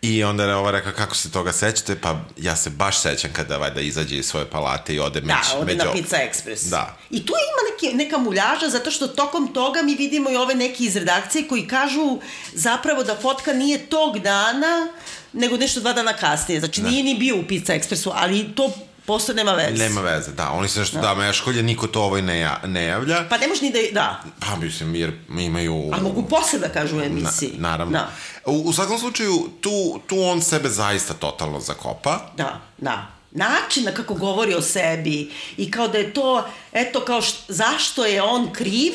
I onda je ova rekla, kako se toga sećate? Pa ja se baš sećam kada valjda izađe iz svoje palate i ode ode na Pizza Express. Da. I tu ima neka muljaža, zato što tokom toga mi vidimo i ove neki iz redakcije koji kažu zapravo da fotka nije tog dana, nego nešto 2 dana kasnije. Znači nije ni bio u Pizza Expressu, ali to posle nema veze. Nema veze, da. Oni se nešto meškolje, niko to ne javlja. Pa ne može ni da... Pa mislim, jer imaju... Ali mogu posle da kažu u emisiji. Naravno. U svakom slučaju, tu on sebe zaista totalno zakopa. Da. Način kako govori o sebi i kao da je to, eto kao zašto je on kriv,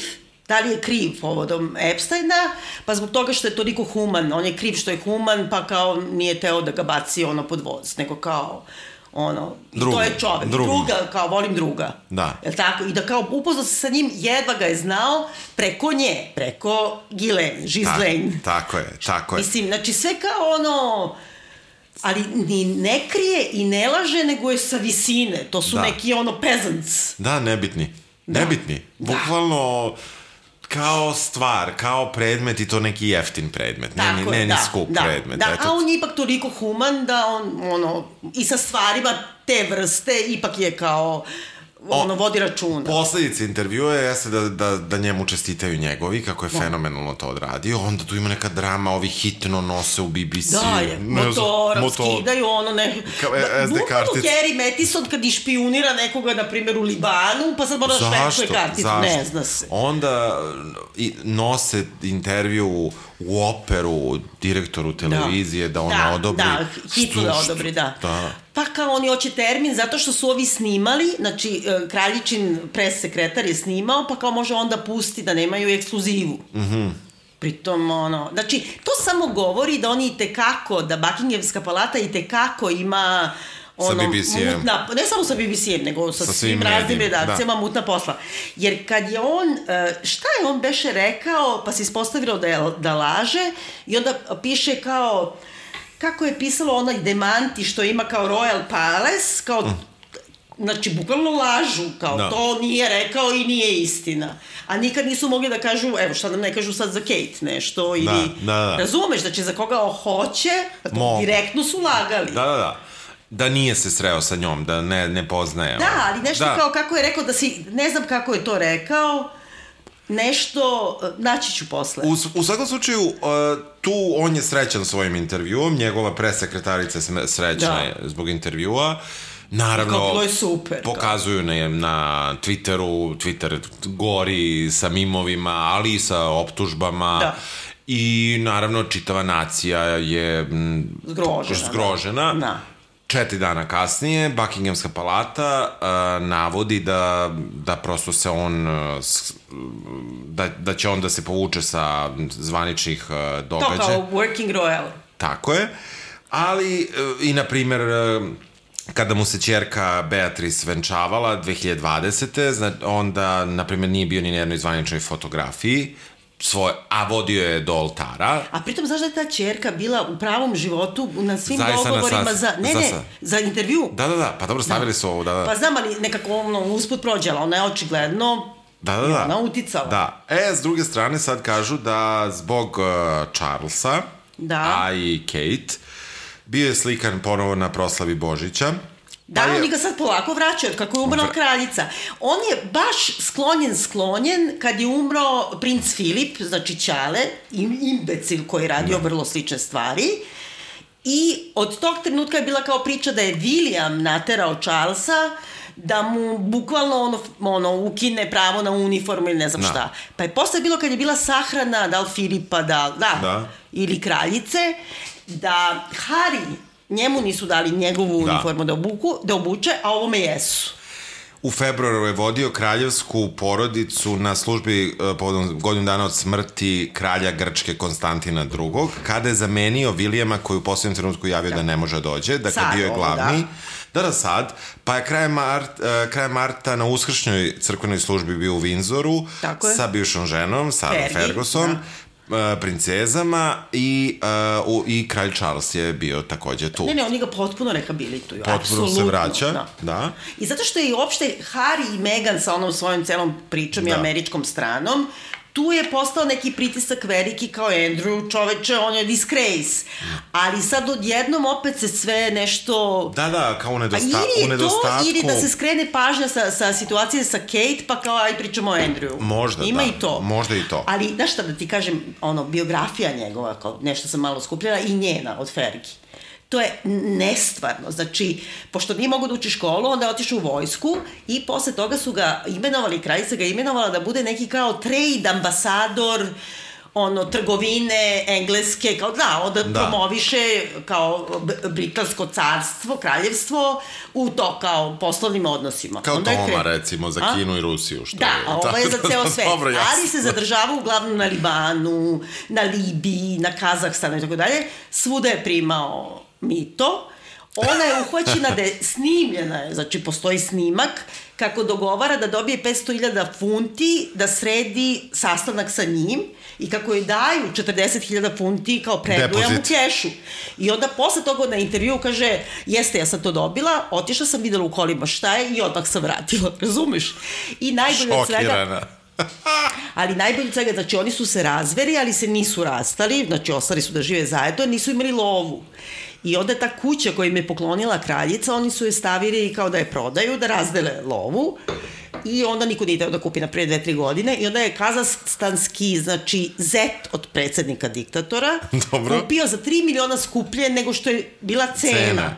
da li je kriv povodom Epsteina, pa zbog toga što je toliko human, on je kriv što je human, pa kao nije teo da ga baci pod voz, nego kao to je čovek, druga, kao volim druga. Da. Jel tako? I da kao upoznao se sa njim, jedva ga je znao preko nje, preko Ghislaine. Tako je. Mislim, znači sve kao ali ni ne krije i ne laže, nego je sa visine. To su neki peasants. Da, nebitni. Bukvalno kao stvar, kao predmet i to neki jeftin predmet, ne ni skup predmet. A on je ipak toliko human da on, i sa stvarima te vrste ipak je kao, vodi računa. Posledice intervjua jeste da njemu čestitaju njegovi, kako je fenomenalno to odradio, onda tu ima neka drama, ovi hitno nose u BBC. Da je, motor, skidaju bukvalno Harry Mathison kad išpionira nekoga, na primjer, u Libanu, pa sad mora da švercuje karticu, ne zna se. Onda nose intervju u operu direktoru televizije da ona odobri. Da, hitno da odobri, da. Pa kao oni hoće termin, zato što su ovi snimali, znači kraljičin pres sekretar je snimao, pa kao može onda pusti da nemaju ekskluzivu. Pritom, znači, to samo govori da oni itekako, da Buckinghamska palata itekako ima sa BBC-em. Ne samo sa BBC-em, nego sa svim raznim redakcijama mutna posla. Jer kad je on, šta je on beše rekao, pa se ispostavilo da laže i onda piše kao, kako je pisalo onaj demanti što ima kao Royal Palace, kao, znači, bukvalno lažu, kao to nije rekao i nije istina. A nikad nisu mogli da kažu, evo šta nam ne kažu sad za Kate nešto, ili razumeš, znači za koga hoće, direktno su lagali. Da. da nije se sreo sa njom, da ne poznaje. Da, ali nešto kao kako je rekao da si, ne znam kako je to rekao, nešto, naći ću posle. U svakom slučaju, tu on je srećan svojim intervjuom, njegova presekretarica je srećna zbog intervjua. Naravno, bilo je super, pokazuju na Twitteru, Twitter gori sa mimovima, ali i sa optužbama. I naravno, čitava nacija je zgrožena. Da. 4 dana kasnije, Buckinghamska palata navodi da prosto se on, da će on da se povuče sa zvaničnih događaja. To kao working royal. Tako je, ali i na primer, kada mu se ćerka Beatrice venčavala 2020. Onda, na primer, nije bio ni na jednoj zvaničnoj fotografiji, a vodio je do oltara. A pritom, znaš da je ta ćerka bila u pravom životu na svim dogovorima za intervju? Da, pa dobro, stavili su ovo, da. Pa znam, ali nekako usput prođela, ona je očigledno ona uticala. Da, s druge strane sad kažu da zbog Charlesa, a i Kate, bio je slikan ponovo na proslavi Božića. Da, oni ga sad polako vraćaju, kako je umrla kraljica. On je baš sklonjen kad je umro princ Filip, znači Ćale, imbecil koji je radio vrlo slične stvari. I od tog trenutka je bila kao priča da je William naterao Charlesa da mu bukvalno ukine pravo na uniformu ili ne znam šta. Pa je posle bilo kad je bila sahrana, da li Filipa, ili kraljice, da Harry njemu nisu dali njegovu uniformu da obuče, a ovome jesu. U februaru je vodio kraljevsku porodicu na službi povodom godinu dana od smrti kralja Grčke Konstantina II. Kada je zamenio Vilijama koji u posljednjem trenutku javio da ne može dođe, dakle bio je glavni. Sad, pa je krajem marta na uskršnjoj crkvenoj službi bio u Windsoru sa bivšom ženom, Sarom Ferguson, princezama i kralj Charles je bio takođe tu. Ne, oni ga potpuno rehabilituju. Potpuno se vraća, da. I zato što je uopšte Harry i Meghan sa onom svojom celom pričom i američkom stranom, tu je postao neki pritisak veliki kao Andrew, čoveče, on je disgrace. Ali sad odjednom opet se sve nešto... Da, kao u nedostatku. Ili da se skrene pažnja sa situacije sa Kate, pa kao aj pričamo o Andrewu. Možda, ima i to. Možda i to. Ali, znaš šta da ti kažem, biografija njegova, kao nešto sam malo skupljala, i njena od Fergie. To je nestvarno. Znači, pošto nije mogo da uči školu, onda je otišao u vojsku i posle toga su ga imenovali, kraljica ga imenovala da bude neki kao trade ambasador, trgovine engleske, kao onda promoviše kao britansko carstvo, kraljevstvo u to kao poslovnim odnosima. Kao Toma, recimo, za Kinu i Rusiju. A ovo je za ceo svet. Ali se zadržava uglavnom na Libanu, na Libiji, na Kazahstanu i tako dalje. Svuda je primao mito. Ona je uhvaćena da je snimljena, znači postoji snimak kako dogovara da dobije 500.000 funti da sredi sastanak sa njim i kako joj daju 40.000 funti kao predujam u kešu. I onda posle toga na intervju kaže, jeste, ja sam to dobila, otišla sam, videla u kolima šta je i odmah sam vratila, razumeš? I najbolje od svega... Ali najbolje od svega, znači oni su se razveli, ali se nisu rastali, znači ostali su da žive zajedno, nisu imali lovu. I onda ta kuća koju im je poklonila kraljica, oni su je stavili kao da je prodaju, da razdele lovu. I onda niko nije teo da kupi na pre 2-3 godine. I onda je kazahstanski, znači, zet od predsjednika diktatora kupio za 3 miliona skuplje nego što je bila cena.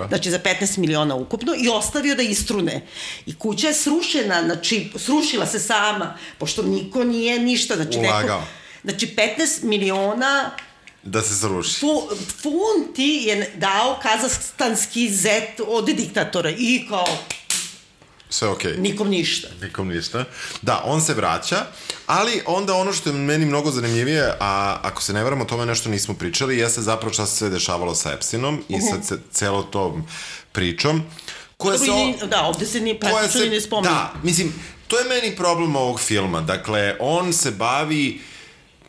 Znači, za 15 miliona ukupno i ostavio da istrune. I kuća je srušena, znači, srušila se sama, pošto niko nije ništa. Ulagao. Znači, 15 miliona... Da se sruši. Funti je dao kazahstanski zet od diktatora i kao... Sve okej. Nikom ništa. Da, on se vraća, ali onda ono što je meni mnogo zanimljivije, a ako se ne varam, o tome nešto nismo pričali, jeste zapravo šta se sve dešavalo sa Epsteinom i sa celom tom pričom. Da, ovde se praktično ne spominje. Da, mislim, to je meni problem ovog filma. Dakle, on se bavi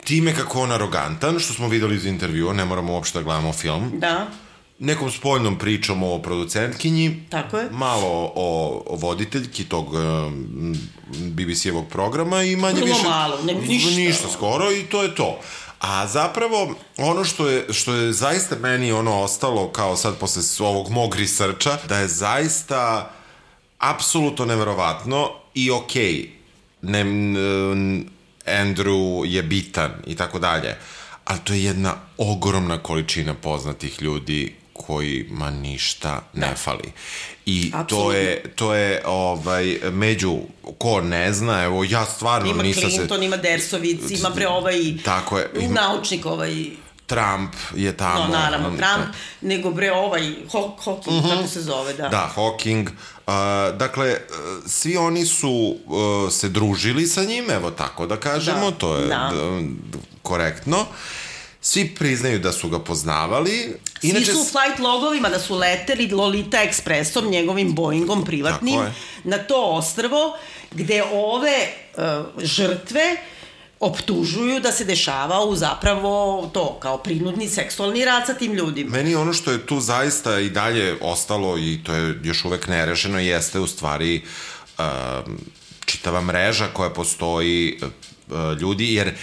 time kako on arogantan, što smo videli iz intervjua, ne moramo uopšte da gledamo film. Da. Nekom spoljnom pričom o producentkinji. Tako je. Malo o voditeljki tog BBC-evog programa i manje više... Vrlo malo, ništa. Ništa skoro i to je to. A zapravo, ono što je zaista meni ostalo, kao sad posle ovog mog researcha, da je zaista apsolutno neverovatno i okej, Andrew je bitan i tako dalje, ali to je jedna ogromna količina poznatih ljudi kojima ništa ne fali. I to je među ko ne zna, evo ja stvarno ima Clinton, ima Dersovic, ima tako je, naučnik Trump je tamo. No, naravno, Trump, nego Hawking, kako se zove, da. Da, Hawking. Dakle, svi oni su se družili sa njim, evo tako da kažemo, to je korektno. Svi priznaju da su ga poznavali. Svi su u flight logovima da su leteli Lolita Expressom, njegovim Boeingom privatnim, na to ostrvo, gde ove žrtve optužuju da se dešavao zapravo to, kao prinudni seksualni rad sa tim ljudima. Meni ono što je tu zaista i dalje ostalo i to je još uvek nerešeno jeste u stvari čitava mreža koja postoji ljudi, jer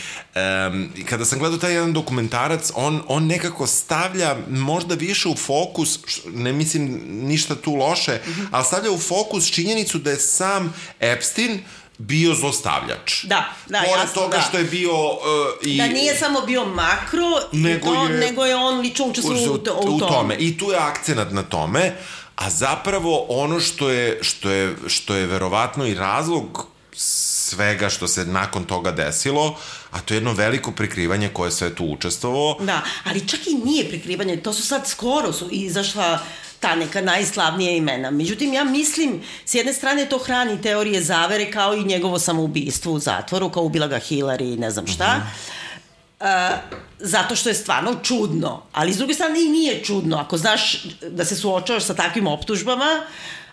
kada sam gledao taj jedan dokumentarac, on nekako stavlja možda više u fokus, ne mislim ništa tu loše, ali stavlja u fokus činjenicu da je sam Epstein bio zlostavljač. Da, pored toga što je bio da nije samo bio makro, nego je on lično učestvovao u tome. I tu je akcenat na tome, a zapravo ono što je verovatno i razlog svega što se nakon toga desilo, a to je jedno veliko prikrivanje koje sve tu učestvovao. Da, ali čak i nije prikrivanje, to su sad skoro izašla ta neka najslavnija imena. Međutim, ja mislim, s jedne strane to hrani teorije zavere kao i njegovo samoubistvo u zatvoru, kao ubila ga Hillary i ne znam šta. Zato što je stvarno čudno. Ali s druge strane i nije čudno. Ako znaš da se suočavaš sa takvim optužbama,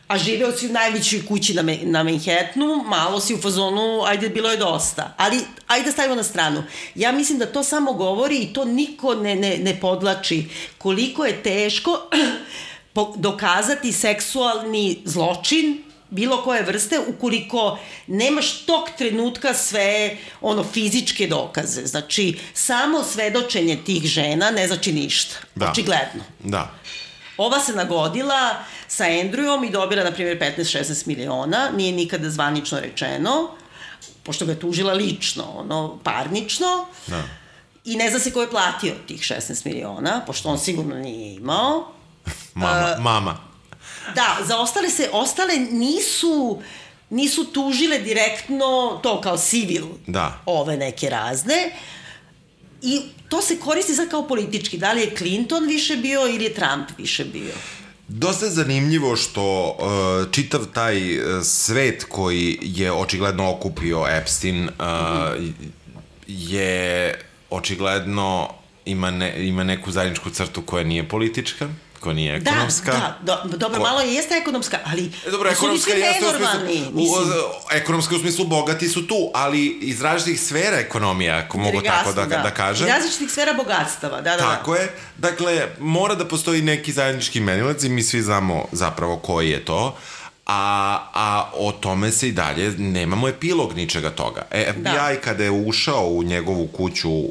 a živeo si u najvećoj kući na Manhattanu, malo si u fazonu, ajde, bilo je dosta. Ali, ajde stavimo na stranu. Ja mislim da to samo govori i to niko ne podlači. Koliko je teško dokazati seksualni zločin bilo koje vrste ukoliko nemaš tog trenutka sve fizičke dokaze. Znači, samo svedočenje tih žena ne znači ništa. Očigledno. Da. Ova se nagodila sa Andrewom i dobila, na primjer, 15-16 miliona. Nije nikada zvanično rečeno, pošto ga je tužila lično, parnično. Da. I ne zna se ko je platio tih 16 miliona, pošto on sigurno nije imao. Mama. Da, za ostale nisu tužile direktno to kao civil, ove neke razne. I to se koristi sad kao politički. Da li je Clinton više bio ili je Trump više bio? Dosta je zanimljivo što čitav taj svet koji je očigledno okupio Epstein je očigledno ima neku zajedničku crtu koja nije politička, koja nije ekonomska. Dobro, malo jeste ekonomska, ali su li svi nenormalni? Ekonomska u smislu bogati su tu, ali iz različitih sfera ekonomija, ako mogu tako da kažem. Iz različitih sfera bogatstava, da. Tako je. Dakle, mora da postoji neki zajednički imenilac i mi svi znamo zapravo koji je to, a o tome se i dalje nemamo epilog ničega toga. FBI kada je ušao u njegovu kuću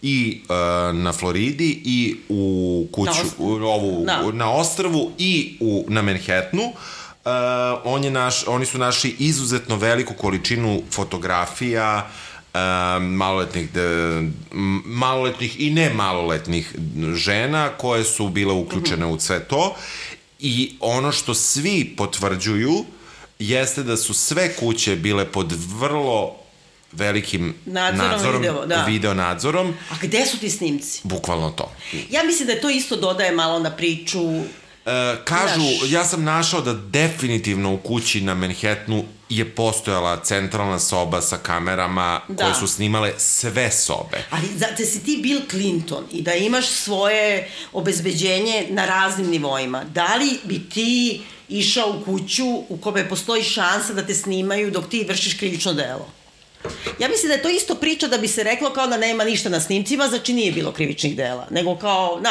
i na Floridi i u kuću na ostrvu i na Manhattanu, oni su našli izuzetno veliku količinu fotografija maloletnih i nemaloletnih žena koje su bile uključene u sve to. I ono što svi potvrđuju jeste da su sve kuće bile pod vrlo velikim video nadzorom. A gde su ti snimci? Bukvalno to. Ja mislim da to isto dodaje malo na priču. Kažu, ja sam našao da definitivno u kući na Manhattanu je postojala centralna soba sa kamerama koje su snimale sve sobe. Ali da si ti Bill Clinton i da imaš svoje obezbeđenje na raznim nivoima, da li bi ti išao u kuću u kome postoji šansa da te snimaju dok ti vršiš krivično delo? Ja mislim da je to isto priča da bi se reklo kao da nema ništa na snimcima, znači nije bilo krivičnih dela, nego kao,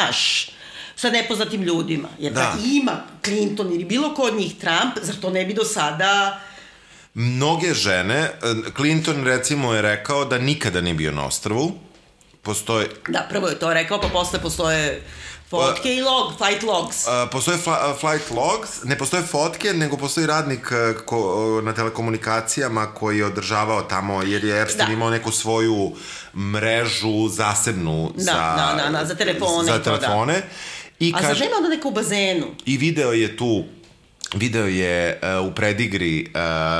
sa nepoznatim ljudima. Jer da ima Clinton ili bilo ko od njih Trump, zar to ne bi do sada mnoge žene, Clinton recimo je rekao da nikada nije bio na ostrvu, postoje... Da, prvo je to rekao, pa posle postoje fotke i flight logs. Postoje flight logs, ne postoje fotke, nego postoji radnik na telekomunikacijama koji je održavao tamo, jer je Epstein imao neku svoju mrežu zasebnu za telefone. Za telefone. A za žena onda neka u bazenu. I video je u predigri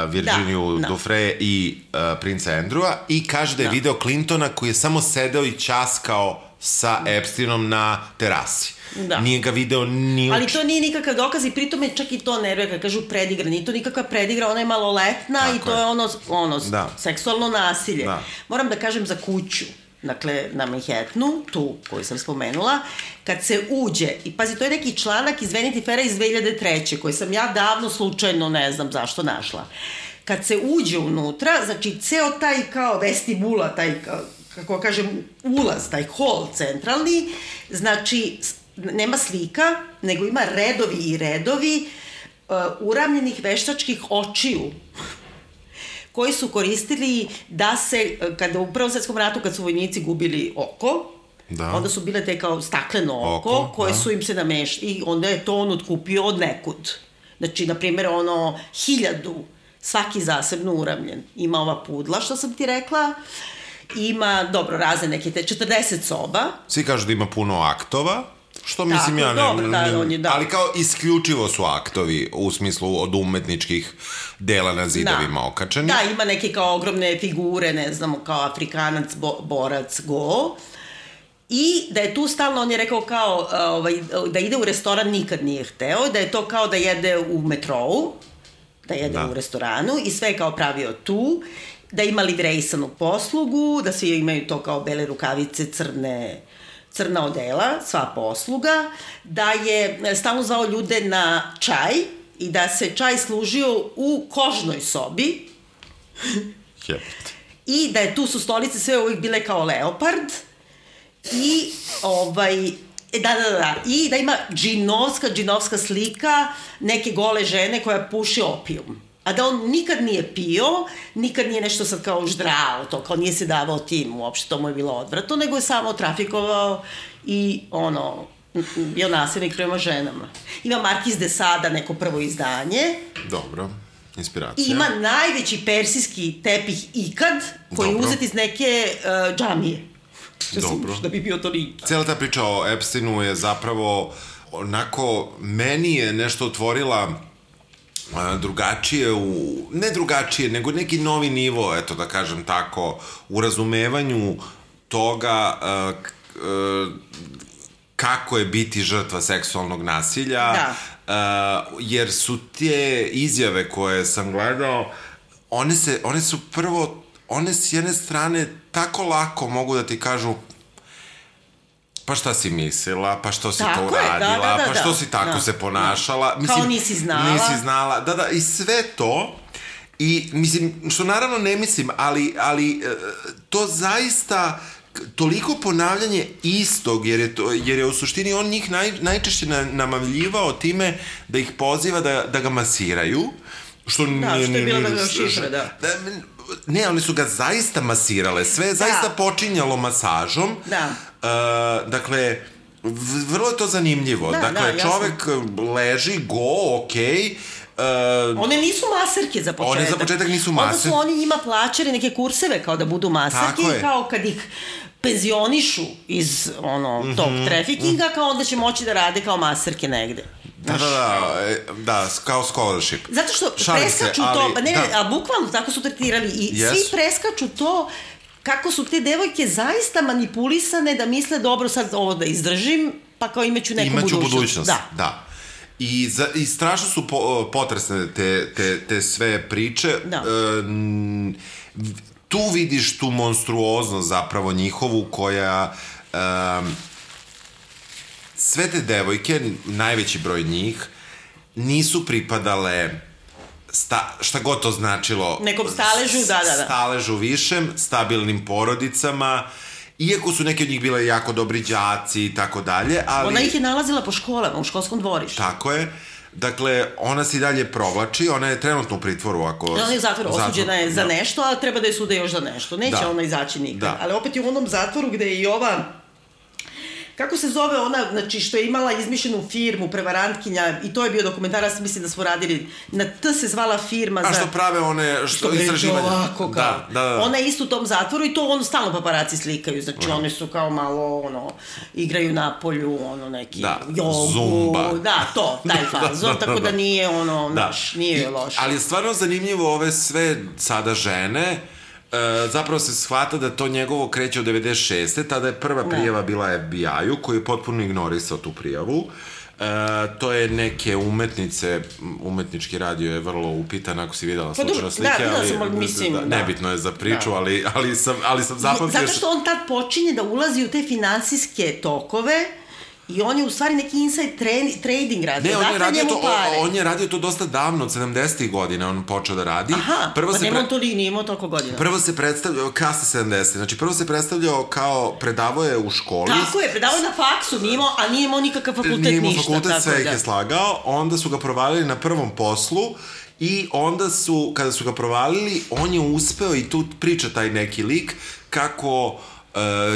Virginiju Dufresne i princa Andrewa i kaže da je video Clintona koji je samo sedeo i ćaskao sa Epsteinom na terasi. Nije ga video ni... Ali to nije nikakav dokaz i pritome čak i to nervuje kad kažu predigra. Nije to nikakva predigra, ona je maloletna i to je ono seksualno nasilje. Moram da kažem za kuću. Dakle, na Manhattanu, tu koju sam spomenula, kad se uđe, i pazi, to je neki članak iz Vanity Faira iz 2003. koji sam ja davno slučajno, ne znam zašto, našla. Kad se uđe unutra, znači, ceo taj kao vestibula, taj, kako kažem, ulaz, taj hol centralni, znači, nema slika, nego ima redovi i redovi uravnjenih veštačkih očiju, koji su koristili da se, kada u Prvom svetskom ratu, kad su vojnici gubili oko, onda su bile te kao stakleno oko, koje su im se nameštili, i onda je to on otkupio od nekud. Znači, na primjer, 1000, svaki zasebno uravljen. Ima ova pudla, što sam ti rekla, ima, dobro, razne neke te 40 soba. Svi kažu da ima puno aktova, što mislim ja ne... Ali kao isključivo su aktovi u smislu od umetničkih dela na zidovima okačeni. Da, ima neke kao ogromne figure, ne znam, kao Afrikanac, borac, go. I da je tu stalno, on je rekao kao da ide u restoran nikad nije hteo, da je to kao da jede u metrou, da jede u restoranu i sve je kao pravio tu, da ima livrejsanu poslugu, da svi imaju to kao bele rukavice, crna odela, sva posluga, da je stalno zvao ljude na čaj i da se čaj služio u kožnoj sobi i da je tu su stolice sve uvijek bile kao leopard i i da ima džinovska slika neke gole žene koja puši opijum. A da on nikad nije pio, nikad nije nešto sad kao ždrao, to kao nije se davao tim, uopšte to mu je bilo odvratno, nego je samo trafikovao i bio nasilnik prema ženama. Ima Markiz de Sada, neko prvo izdanje. Dobro, inspiracija. I ima najveći persijski tepih ikad, koji je uzet iz neke džamije. Dobro. Da bi bio to nikad. Cijela ta priča o Epsteinu je zapravo onako, meni je nešto otvorila drugačije, ne drugačije, nego neki novi nivo, eto da kažem tako, u razumevanju toga kako je biti žrtva seksualnog nasilja, jer su te izjave koje sam gledao, one su prvo, one s jedne strane tako lako mogu da ti kažu pa šta si mislila, pa što si to uradila, pa što si tako se ponašala. Kao nisi znala. Da, i sve to, i mislim, što naravno ne mislim, ali to zaista toliko ponavljanje istog, jer je u suštini on njih najčešće namavljivao time da ih poziva da ga masiraju, što je bilo da ga šišre, da. Ne, oni su ga zaista masirale, sve je zaista počinjalo masažom. Da. Dakle, vrlo je to zanimljivo. Dakle, čovek leži, okej. One nisu masarke za početak. One za početak nisu masarke. Onda su oni njima plaćali neke kurseve kao da budu masarke i kao kad ih penzionišu iz tog trafikinga, kao onda će moći da rade kao masarke negde. Da, kao scholarship. Zato što preskaču to, a bukvalno tako su tretirali i svi preskaču to kako su te devojke zaista manipulisane da misle dobro sad ovo da izdržim, pa kao imaću neku budućnost. Da. I strašno su potresne te sve priče. Tu vidiš tu monstruoznost zapravo njihovu koja... Sve te devojke, najveći broj njih, nisu pripadale šta god to značilo nekom staležu, staležu višem, stabilnim porodicama, iako su neke od njih bile jako dobri đaci i tako dalje, ali... Ona ih je nalazila po školama, u školskom dvorištu. Tako je, Dakle, ona se i dalje provlači, ona je trenutno u pritvoru ako... Ona je u zatvoru, osuđena je za nešto, a treba da je sude još za nešto. Neće ona izaći nikad. Ali opet je u onom zatvoru gde je i ova... Kako se zove ona, znači, što je imala izmišljenu firmu, prevarantkinja, i to je bio dokumentarac, mislim da smo radili, na T se zvala firma za... A što prave one, što istraživanja. Ovako, kao. Da. Ona je isto u tom zatvoru i to stalno paparaci slikaju, znači one su kao malo, igraju na polju, neki jogu. Zumba. Da, taj fazon, tako da nije nije loše. Ali je stvarno zanimljivo ove sve sada žene, zapravo se shvata da to njegovo kreće od 96. Tada je prva prijava bila FBI-u koji je potpuno ignorisao tu prijavu. To je neke umetnice, umetnički radio je vrlo upitan, ako si videla slučajno slike, nebitno je za priču, ali sam zapamtio... Zato što on tad počinje da ulazi u te finansijske tokove i on je u stvari neki inside trading radio. Ne, on je radio to dosta davno, od 70-ih godina on počeo da radi. Aha, pa nije imao toliko godina. Prvo se predstavljao, kasne 70-ih, znači prvo se predstavljao kao, predavao je u školi. Tako je, predavao je na faksu, a nije imao nikakav fakultet ništa. Nije imao fakultet, sve ih je slagao, onda su ga provalili na prvom poslu i onda su, kada su ga provalili, on je uspeo, i tu priča taj neki lik, kako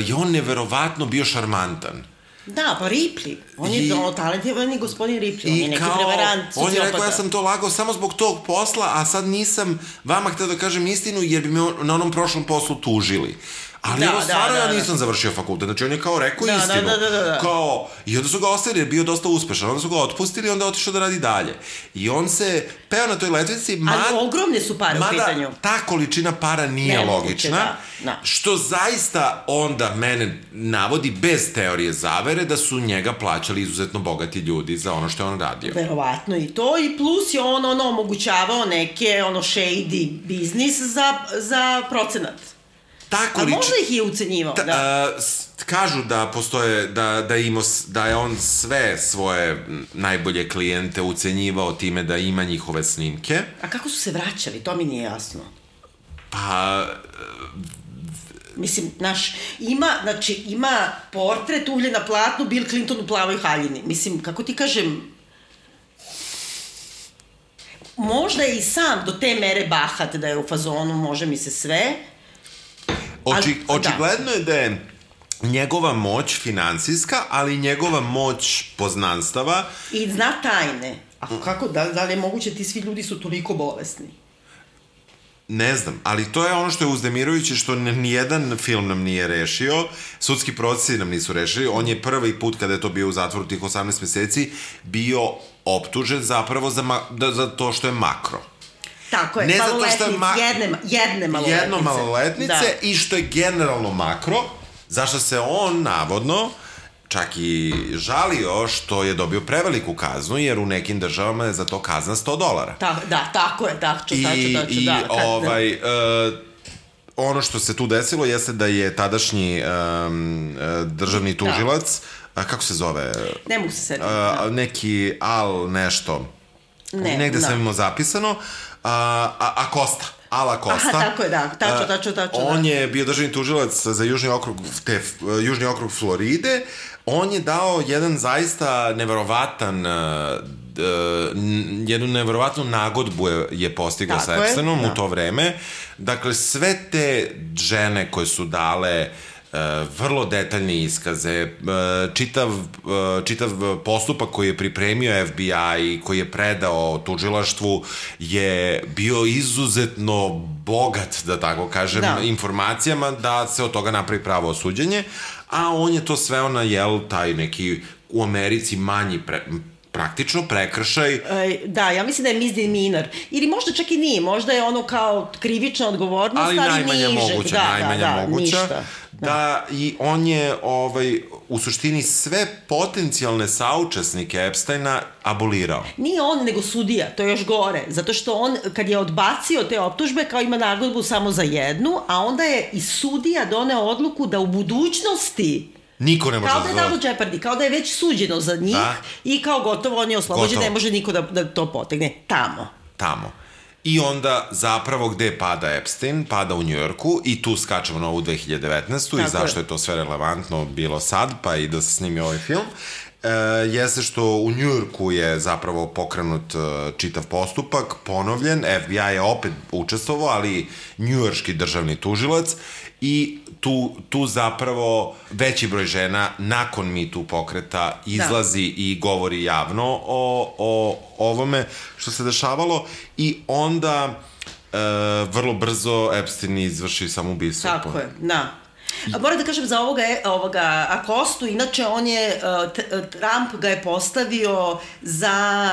je on neverovatno bio šarmantan. Da, pa Ripley. On je talentovani gospodin Ripley. On je neki prevarant, sociopata. On je rekao, ja sam to lagao samo zbog tog posla, a sad nisam vama hteo da kažem istinu, jer bi me na onom prošlom poslu tužili. Ali evo, stvarno ja nisam završio fakultet. Znači, on je kao rekao istinu. Kao, i onda su ga ostavili, jer je bio dosta uspešan. Onda su ga otpustili i onda je otišao da radi dalje. I on se peo na toj letvici. Ali ogromne su pare u pitanju. Mada ta količina para nije logična. Što zaista onda mene navodi bez teorije zavere da su njega plaćali izuzetno bogati ljudi za ono što je on radio. Verovatno i to. I plus je on omogućavao neke shady biznis za procenat. A možda ih je ucenjivao, Kažu da postoje, da je on sve svoje najbolje klijente ucenjivao time da ima njihove snimke. A kako su se vraćali? To mi nije jasno. Pa... Mislim, ima portret ugljen na platnu, Bill Clinton u plavoj haljini. Mislim, kako ti kažem... Možda je i sam do te mere bahat da je u fazonu, može mi se sve... Očigledno je da je njegova moć finansijska, ali njegova moć poznanstava... I zna tajne. A kako, da li je moguće ti svi ljudi su toliko bolesni? Ne znam, ali to je ono što je uzdemirujuće, što nijedan film nam nije rešio, sudski procesi nam nisu rešili. On je prvi put kada je to bio u zatvoru tih 18 meseci bio optužen zapravo za to što je makro. Tako je, jedne maloletnice i što je generalno makro, zašto se on navodno čak i žalio što je dobio preveliku kaznu, jer u nekim državama je za to kazna $100. Da, tako je, tačno. Ono što se tu desilo jeste da je tadašnji državni tužilac, kako se zove? Ne mogu se setiti. Neki nešto. Negde sam imao zapisano. Acosta. Ala Costa. Aha, tako je, tačno. On je bio državni tužilac za južni okrug Floride. On je dao jedan zaista jednu neverovatnu nagodbu je postigao sa Epsteinom u to vreme. Dakle, sve te žene koje su dale vrlo detaljne iskaze, čitav postupak koji je pripremio FBI i koji je predao tužilaštvu je bio izuzetno bogat, da tako kažem, informacijama da se od toga napravi pravo osuđenje, a on je to sveo na taj neki u Americi manji praktično prekršaj. Da, ja mislim da je misdemeanor. Ili možda čak i nije, možda je ono kao krivična odgovornost, ali najmanja moguća. Da, i on je u suštini sve potencijalne saučesnike Epsteina abolirao. Nije on, nego sudija, to je još gore. Zato što on, kad je odbacio te optužbe, kao ima nagodbu samo za jednu, a onda je i sudija doneo odluku da u budućnosti niko ne može kao da je Double Jeopardy, kao da je već suđeno za njih i kao gotovo on je oslobođen, ne može niko da to potegne. Tamo. I onda zapravo gde pada Epstein? Pada u Njujorku i tu skačemo na ovu 2019. I zašto je to sve relevantno bilo sad, pa i da se snimi ovaj film. jeste što u Njujorku je zapravo pokrenut čitav postupak, ponovljen, FBI je opet učestvovao, ali njujorški državni tužilac, i tu zapravo veći broj žena nakon Me Too pokreta izlazi i govori javno o ovome što se dešavalo, i onda vrlo brzo Epstein izvrši samoubistvo. Tako je, da. Moram da kažem za ovoga Acostu, inače on je, Trump ga je postavio za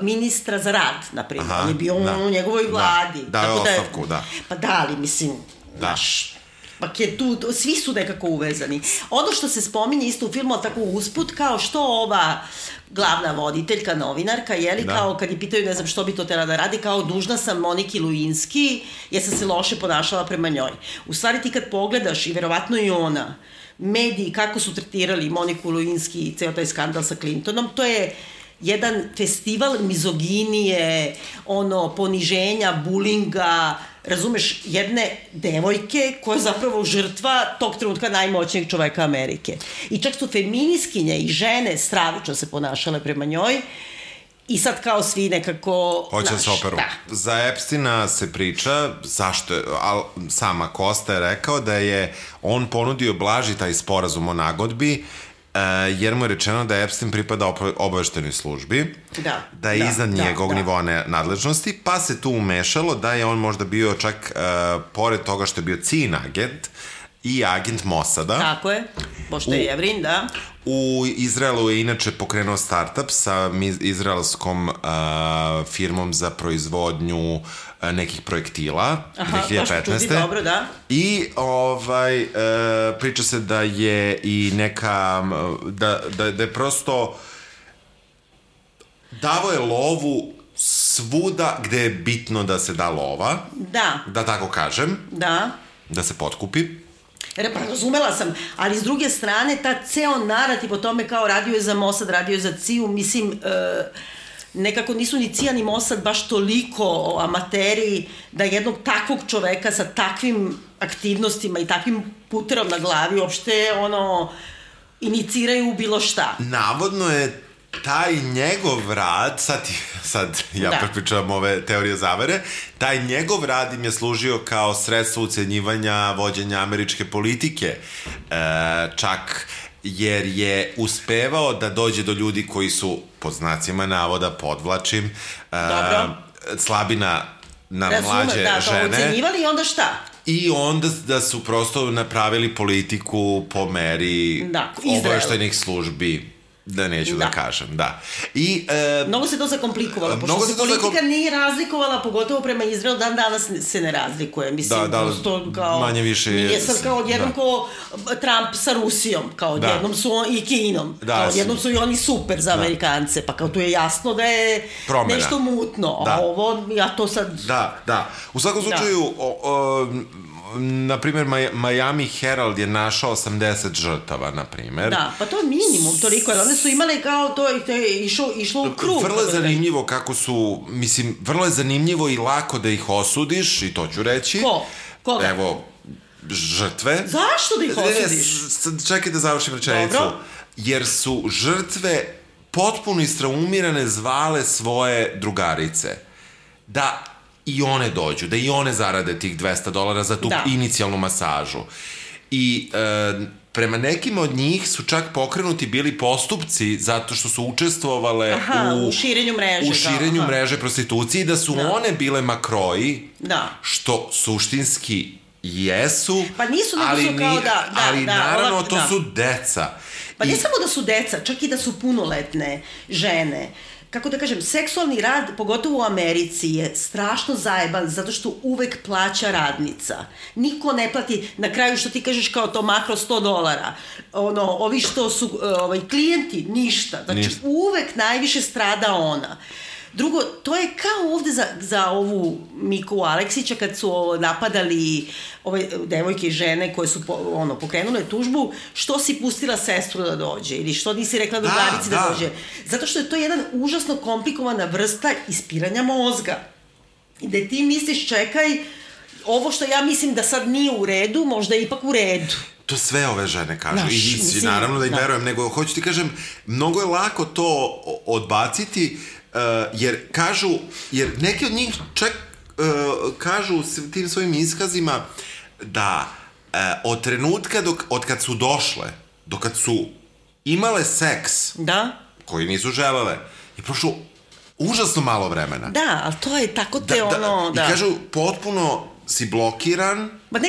ministra za rad, naprimjer. On je bio u njegovoj vladi. Da, ostavku, da. Pa da, ali mislim, znaš, pak je tu, svi su nekako uvezani. Ono što se spominje isto u filmu, ali tako usput, kao što ova glavna voditeljka, novinarka, kao kad je pitaju, ne znam što bi to tela da radi, kao dužna sam Moniki Lewinsky, jer sam se loše ponašala prema njoj. U stvari ti kad pogledaš, i verovatno i ona, mediji kako su tretirali Moniku Lewinsky i ceo taj skandal sa Clintonom, to je jedan festival mizoginije, poniženja, bulinga, razumeš, jedne devojke koja je zapravo žrtva tog trenutka najmoćnijeg čoveka Amerike. I čak su feministkinje i žene stravično se ponašale prema njoj, i sad kao svi nekako... Hoće se operu. Da. Za Epsteina se priča, zašto je, sama Costa je rekao da je on ponudio blaži taj sporazum o nagodbi, jer mu je rečeno da Epstein pripada obaveštenoj službi, da je iznad njegovog nivoa nadležnosti, pa se tu umešalo da je on možda bio čak, pored toga što je bio ciljni agent, i agent Mossada. Tako je, pošto je Jevrin, da. U Izraelu je inače pokrenuo startup sa izraelskom firmom za proizvodnju nekih projektila, 2015. Dobro, da. I priča se da je i neka, da je prosto davo je lovu svuda gde je bitno da se da lova. Da tako kažem. Da se potkupi. Pa razumela sam, ali s druge strane, ta ceo narativ o tome kao radio je za Mossad, radio je za CIA, mislim, nekako nisu ni CIA ni Mossad baš toliko amateri da jednog takvog čoveka sa takvim aktivnostima i takvim puterom na glavi uopšte, iniciraju bilo šta. Navodno je taj njegov rad, sad ja prepričavam ove teorije zavere, taj njegov rad im je služio kao sredstvo ucenjivanja vođenja američke politike, čak jer je uspevao da dođe do ljudi koji su, pod znacima navoda, podvlačim, slabi na mlađe žene. To ucenjivali i onda šta? I onda da su prosto napravili politiku po meri obaveštajnih službi. Da neću da kažem, da. Mnogo se to zakomplikovalo, pošto se politika nije razlikovala, pogotovo prema Izraelu, dan danas se ne razlikuje, mislim, prosto kao... Manje više... Nije sad kao odjednom ko Trump sa Rusijom, kao odjednom su i Kinom, kao odjednom su i oni super za Amerikance, pa kao tu je jasno da je nešto mutno, a ovo, ja to sad... Da. U svakom slučaju, na primjer, Miami Herald je našao 80 žrtava, na primjer. Da, pa to je minimum, toliko, jer one su imale kao to je išlo u krug. Vrlo je zanimljivo kako su, mislim, vrlo je zanimljivo i lako da ih osudiš, i to ću reći. Koga? Evo, žrtve. Zašto da ih osudiš? Čekaj da završim rečenicu. Dobro. Jer su žrtve potpuno istraumirane zvale svoje drugarice. Da i one dođu, da i one zarade tih $200 za tu inicijalnu masažu. I prema nekima od njih su čak pokrenuti bili postupci zato što su učestvovale u širenju mreže. U širenju mreže prostitucije, i da su one bile makroji, što suštinski jesu, pa nisu, nego su kao ali naravno to su deca. Pa ne samo da su deca, čak i da su punoletne žene. Kako da kažem, seksualni rad, pogotovo u Americi, je strašno zajeban zato što uvek plaća radnica. Niko ne plati, na kraju što ti kažeš kao to makro $100. Ovi što su klijenti, ništa. Znači, uvek najviše strada ona. Drugo, to je kao ovde za ovu Miku Aleksića kad su napadali ove devojke i žene koje su pokrenule tužbu, što si pustila sestru da dođe ili što nisi rekla drugarici da dođe. Zato što je to jedan užasno komplikovana vrsta ispiranja mozga. Gde ti misliš, čekaj, ovo što ja mislim da sad nije u redu, možda je ipak u redu. To sve ove žene kažu. Naš, I naravno da im verujem, nego hoću ti kažem, mnogo je lako to odbaciti, jer neki od njih čak kažu tim svojim iskazima da od trenutka od kad su došle, do kad su imale seks, koji nisu želele, je prošlo užasno malo vremena. Da, ali to je tako I kažu, potpuno si blokiran. Ma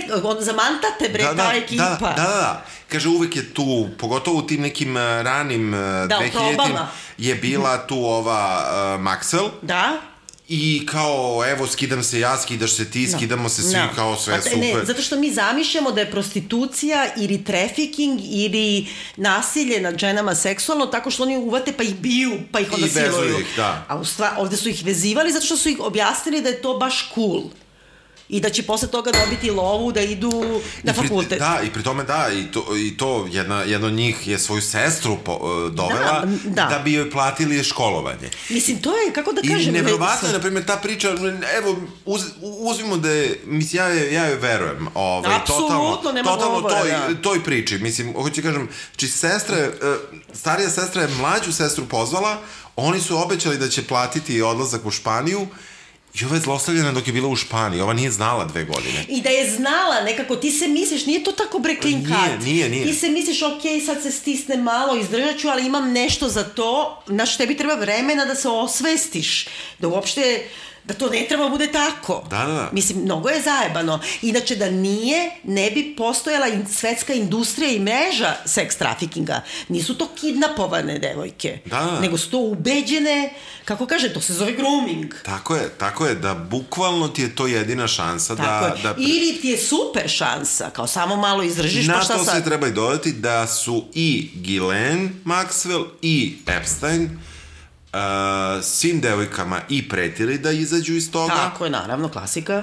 zamanta te ta ekipa. Da. Kaže, uvek je tu, pogotovo u tim nekim ranim 2000-im, je bila tu ova Maxwell. Da. I kao, evo, skidam se ja, skidaš se ti, skidamo se svi, kao sve super. Ne, zato što mi zamišljamo da je prostitucija ili trafficking ili nasilje nad ženama seksualno, tako što oni uvate pa ih biju, pa ih onda siluju. I vezuju ih, da. A ovde su ih vezivali zato što su ih objasnili da je to baš cool. I da će posle toga dobiti lovu da idu na fakultet. Da, i pri tome i to jedna od njih je svoju sestru dovela da bi joj platili školovanje. Mislim, to je, kako da kažem... I nevrovatno je, na primjer, ta priča, evo, uzmimo da je, mislim, ja joj verujem. Apsolutno, nema govora. Toj priči, mislim, hoću kažem, starija sestra je mlađu sestru pozvala, oni su obećali da će platiti odlazak u Španiju. I ova je zlostavljena dok je bila u Španiji. Ova nije znala 2 godine. I da je znala nekako, ti se misliš, nije to tako clean cut. Nije. Ti se misliš, ok, sad se stisne malo, izdržat ću, ali imam nešto za to. Znaš, tebi treba vremena da se osvestiš. Da uopšte, da to ne treba bude tako. Da. Mislim, mnogo je zajebano. Inače, da nije, ne bi postojala svetska industrija i mreža seks trafikinga. Nisu to kidnapovane devojke. Da. Nego su to ubeđene, kako kaže, to se zove grooming. Tako je, da bukvalno ti je to jedina šansa da... Ili ti je super šansa, kao samo malo izdržiš, pa šta sad? Na to se treba i dodati da su i Ghislaine Maxwell i Epstein svim devojkama i pretili da izađu iz toga. Tako je, naravno, klasika.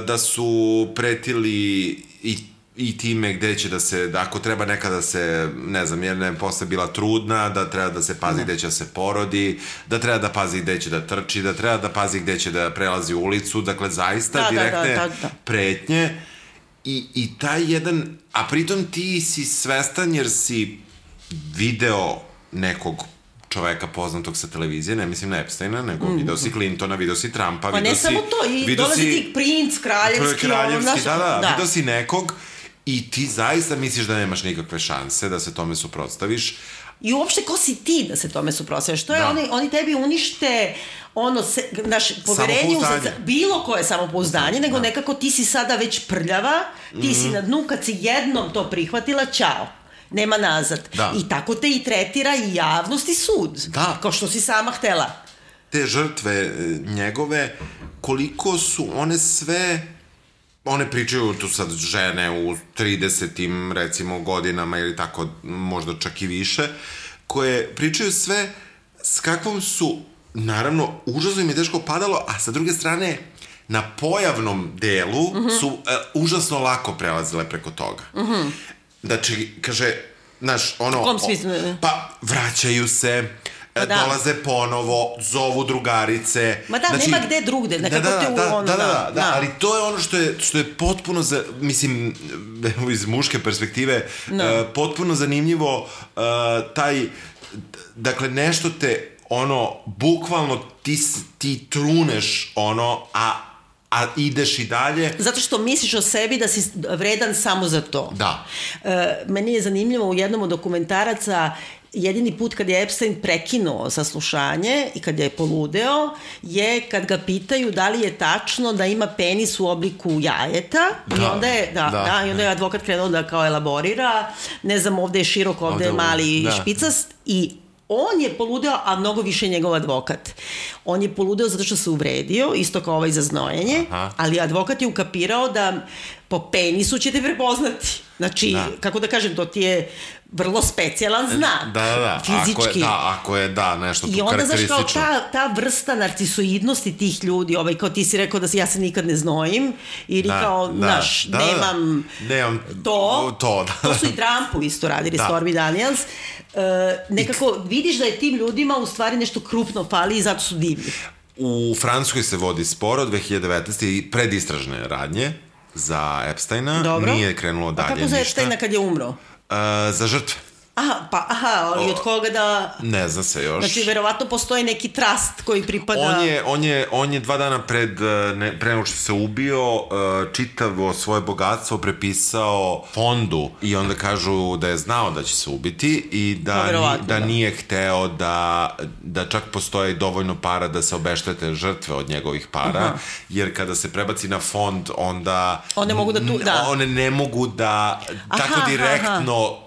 Da su pretili i time gde će da se, ako treba nekada se, ne znam, jer ne posle bila trudna, da treba da se pazi gde će da se porodi, da treba da pazi gde će da trči, da treba da pazi gde će da prelazi ulicu, dakle, zaista direktne pretnje. I taj jedan, a pritom ti si svestan jer si video nekog čoveka poznatog sa televizije, ne mislim na Epsteina, nego video si Clintona, video si Trumpa, pa ne samo to, i dolazi ti princ, kraljevski, video si nekog i ti zaista misliš da nemaš nikakve šanse da se tome suprotstaviš. I uopšte, ko si ti da se tome suprotstaviš? To je, oni tebi unište naš poverenje, bilo koje samopouzdanje, nego nekako ti si sada već prljava, ti si na dnu, kad si jednom to prihvatila, ćao. Nema nazad. I tako te i tretira i javnost i sud. Kao što si sama htela. Te žrtve njegove, koliko su one sve... One pričaju tu sad žene u 30-im, recimo, godinama ili tako, možda čak i više, koje pričaju sve s kakvom su, naravno, užasno im je teško padalo, a sa druge strane, na pojavnom delu su užasno lako prelazile preko toga. Znači, kaže, znaš, ono... U kom smislu? Pa, vraćaju se, dolaze ponovo, zovu drugarice... Ma da, nema gde drugde, nekako te u ono... Da, ali to je ono što je potpuno, mislim, iz muške perspektive, potpuno zanimljivo, taj, dakle, nešto te, ono, bukvalno ti truneš, ono, a ideš i dalje. Zato što misliš o sebi da si vredan samo za to. Da. Meni je zanimljivo u jednom od dokumentaraca, jedini put kad je Epstein prekinuo saslušanje i kad je poludeo, je kad ga pitaju da li je tačno da ima penis u obliku jajeta. I onda je advokat krenuo da kao elaborira. Ne znam, ovde je širok, ovde je mali i špicast. I on je poludeo, a mnogo više njegov advokat. On je poludeo zato što se uvredio, isto kao ovaj za znojenje, ali advokat je ukapirao da po penisu će te prepoznati. Znači, kako da kažem, to ti je vrlo specijalan znak. Fizički. Ako je nešto tu karakteristično. I onda, znaš, kao ta vrsta narcisoidnosti tih ljudi, kao ti si rekao da ja se nikad ne znojim, ili kao, znaš, nemam to. To su i Trumpu isto radili, Stormy Daniels. Nekako vidiš da je tim ljudima u stvari nešto krupno fali i zato su divni. U Francuskoj se vodi spor od 2019. i predistražne radnje za Epsteina. Dobro. Nije krenulo dalje ništa. A kako za Epsteina kad je umro? Za žrtve. Ali od koga da... Ne zna se još. Znači, verovatno postoji neki trust koji pripada... On je 2 dana pre nego što se ubio, čitavo svoje bogatstvo prepisao fondu i onda kažu da je znao da će se ubiti i da nije hteo da čak postoji dovoljno para da se obeštete žrtve od njegovih para, jer kada se prebaci na fond, onda... One ne mogu da tako direktno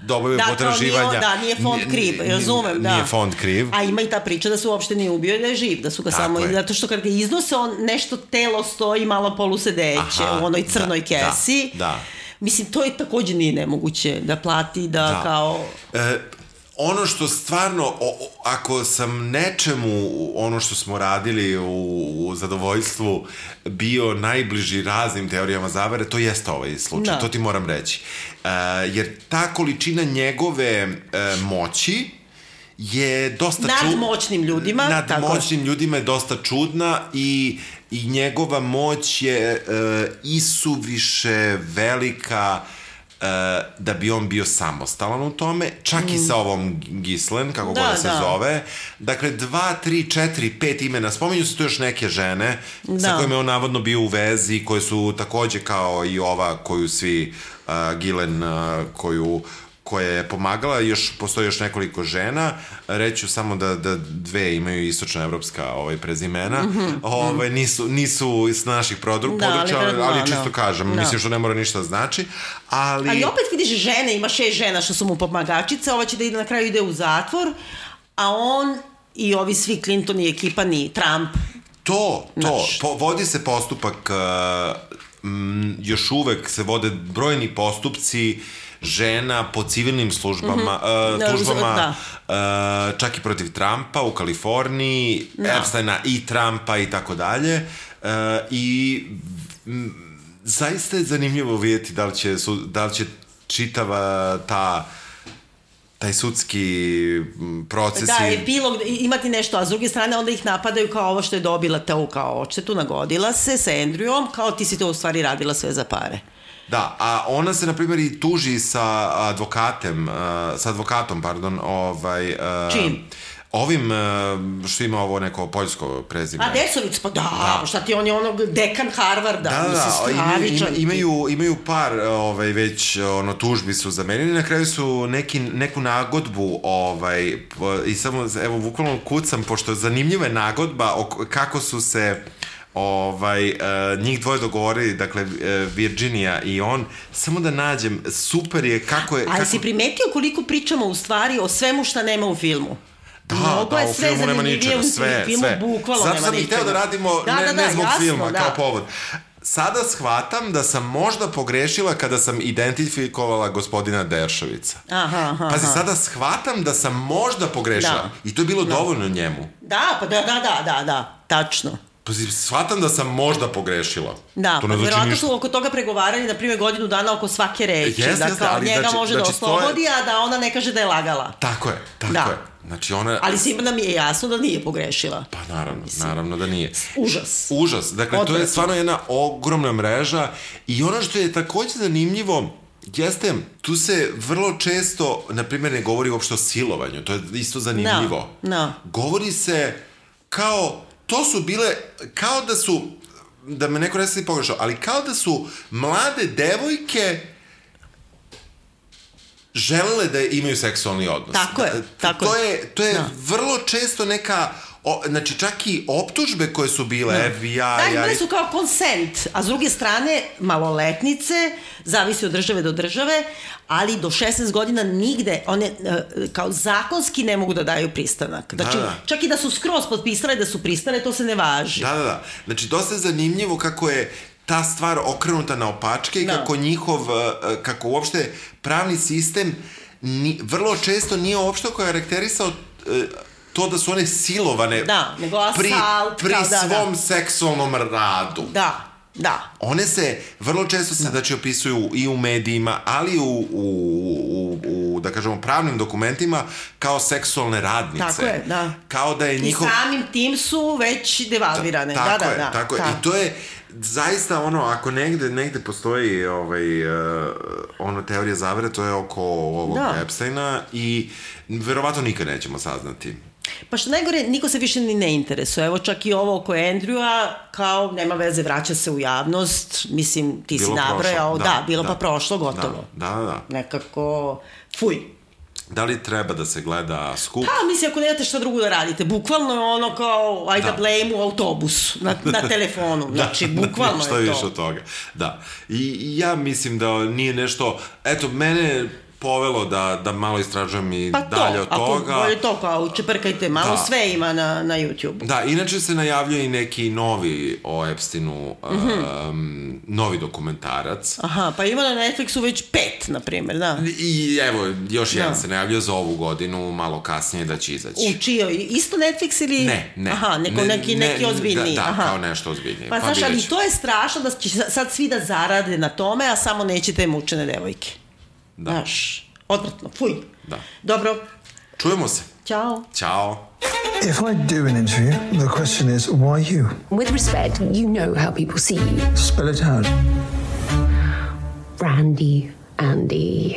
dobaju potraživanja. Nije fond kriv, razumem, da. Nije fond kriv. A ima i ta priča da se uopšte nije ubio i da je živ, da su ga samo... Zato što kad ga iznose, on nešto telo stoji malo polusedeće u onoj crnoj kesi. Da. Mislim, to je takođe nije nemoguće da plati, da kao... Ono što stvarno, ako sam nečemu, ono što smo radili u zadovoljstvu, bio najbliži raznim teorijama zavere, to jeste ovaj slučaj, to ti moram reći. Jer ta količina njegove moći je dosta nadmoćnim ljudima. Nadmoćnim ljudima je dosta čudna i njegova moć je isuviše velika da bi on bio samostalan u tome, čak i sa ovom Ghislaine, kako god se zove. Dakle, 2, 3, 4, 5 imena. Spominju se tu još neke žene sa kojima je on navodno bio u vezi, koje su takođe kao i ova koju svi Ghislaine, koja je pomagala, postoji još nekoliko žena, reću samo da 2 imaju istočnoevropska prezimena, nisu iz naših područja, ali čisto kažem, mislim što ne mora ništa znači, ali opet vidiš žene, ima 6 žena što su mu pomagačice, ova će da ide na kraju ide u zatvor, a on i ovi svi Clinton i ekipa ni Trump. Vodi se postupak, još uvek se vode brojni postupci žena po civilnim tužbama, čak i protiv Trumpa u Kaliforniji, Epsteina i Trumpa i tako dalje. I zaista je zanimljivo vidjeti da li će čitava taj sudski proces... Da, epilog, imati nešto, a s druge strane onda ih napadaju kao ovo što je dobila te kao odštetu, nagodila se sa Andrewom, kao ti si to u stvari radila sve za pare. Da, a ona se, na primjer, i tuži sa advokatom, čim? Ovim, što ima ovo neko poljsko prezime. A Desovic, pa da, šta ti on je onog dekan Harvarda, stravičan. Imaju par već tužbi su zamenili, na kraju su neku nagodbu i samo, evo, bukvalno kucam, pošto zanimljiva je nagodba kako su se njih dvoje dogovorili, dakle Virginia i on, samo da nađem, super je kako je... Ali si primetio koliko pričamo u stvari o svemu šta nema u filmu? Da, u filmu nema ničega, sve. Zato sam i hteo da radimo ne zbog filma, kao povod. Sada shvatam da sam možda pogrešila kada sam identifikovala gospodina Deršovica. Pazi, sada shvatam da sam možda pogrešila. I to je bilo dovoljno njemu. Da, pa da, tačno. Shvatam da sam možda pogrešila. Da, vjerojatno su oko toga pregovarali, na primjer, godinu dana oko svake reči. Da kao njega može da oslobodi, a da ona ne kaže da je lagala. Tako je. Znači ona... Ali svima nam je jasno da nije pogrešila. Pa naravno da nije. Užas. Dakle, to je stvarno jedna ogromna mreža i ono što je takođe zanimljivo jeste, tu se vrlo često, na primjer, ne govori uopšte o silovanju. To je isto zanimljivo. Govori se kao... To su bile, kao da su, da me neko resi pogrešao, ali kao da su mlade devojke želele da imaju seksualni odnos. Tako je. To je vrlo često neka, znači čak i optužbe koje su bile, FBI... Da, imali su kao konsent, a s druge strane, maloletnice, zavisi od države do države, ali do 16 godina nigde, one kao zakonski ne mogu da daju pristanak. Znači, čak i da su skroz potpisale da su pristane, to se ne važi. Da. Znači, dosta je zanimljivo kako je ta stvar okrenuta na opačke i kako uopšte pravni sistem vrlo često nije uopšte karakterisao to da su one silovane nego asalt, pri svom seksualnom radu. Da. One se vrlo često se znači opisuju i u medijima, ali u da kažemo pravnim dokumentima kao seksualne radnice. Tako je, da. Kao da je njihov... I samim tim su već devalvirane. Tako je. I to je zaista ono, ako negde postoji ono teorija zavere, to je oko ovog Epsteina i verovatno nikad nećemo saznati. Pa što najgore, niko se više ni ne interesuje. Evo čak i ovo oko Andrewa, kao nema veze, vraća se u javnost. Mislim, ti si nabrojao. Bilo pa prošlo, gotovo. Da. Nekako, fuj. Da li treba da se gleda skup? Pa, mislim, ako nemate šta drugo da radite. Bukvalno je ono kao, ajde da blame u autobusu, na telefonu. Znači, bukvalno je to. Što više od toga. Da. I ja mislim da nije nešto... Eto, mene... povelo da malo istražujem i dalje od toga. Bolje to kao čeprkajte, malo sve ima na YouTube. Da, inače se najavljuje i neki novi o Epsteinu, novi dokumentarac. Aha, pa ima na Netflixu već 5, na primjer, da. I evo, još jedan se najavljuje za ovu godinu, malo kasnije da će izaći. U čijoj? Isto Netflix ili... Ne. Aha, neki ozbiljniji. Da, kao nešto ozbiljnije. Pa znaš, ali to je strašno da će sad svi da zarade na tome, a samo neće te mučene devojke. Da. Znaš, odvratno, fuj. Da. Dobro. Čujemo se. Ćao. If I do an interview, the question is, why you? With respect, you know how people see you. Spell it out. Brandy, Andy.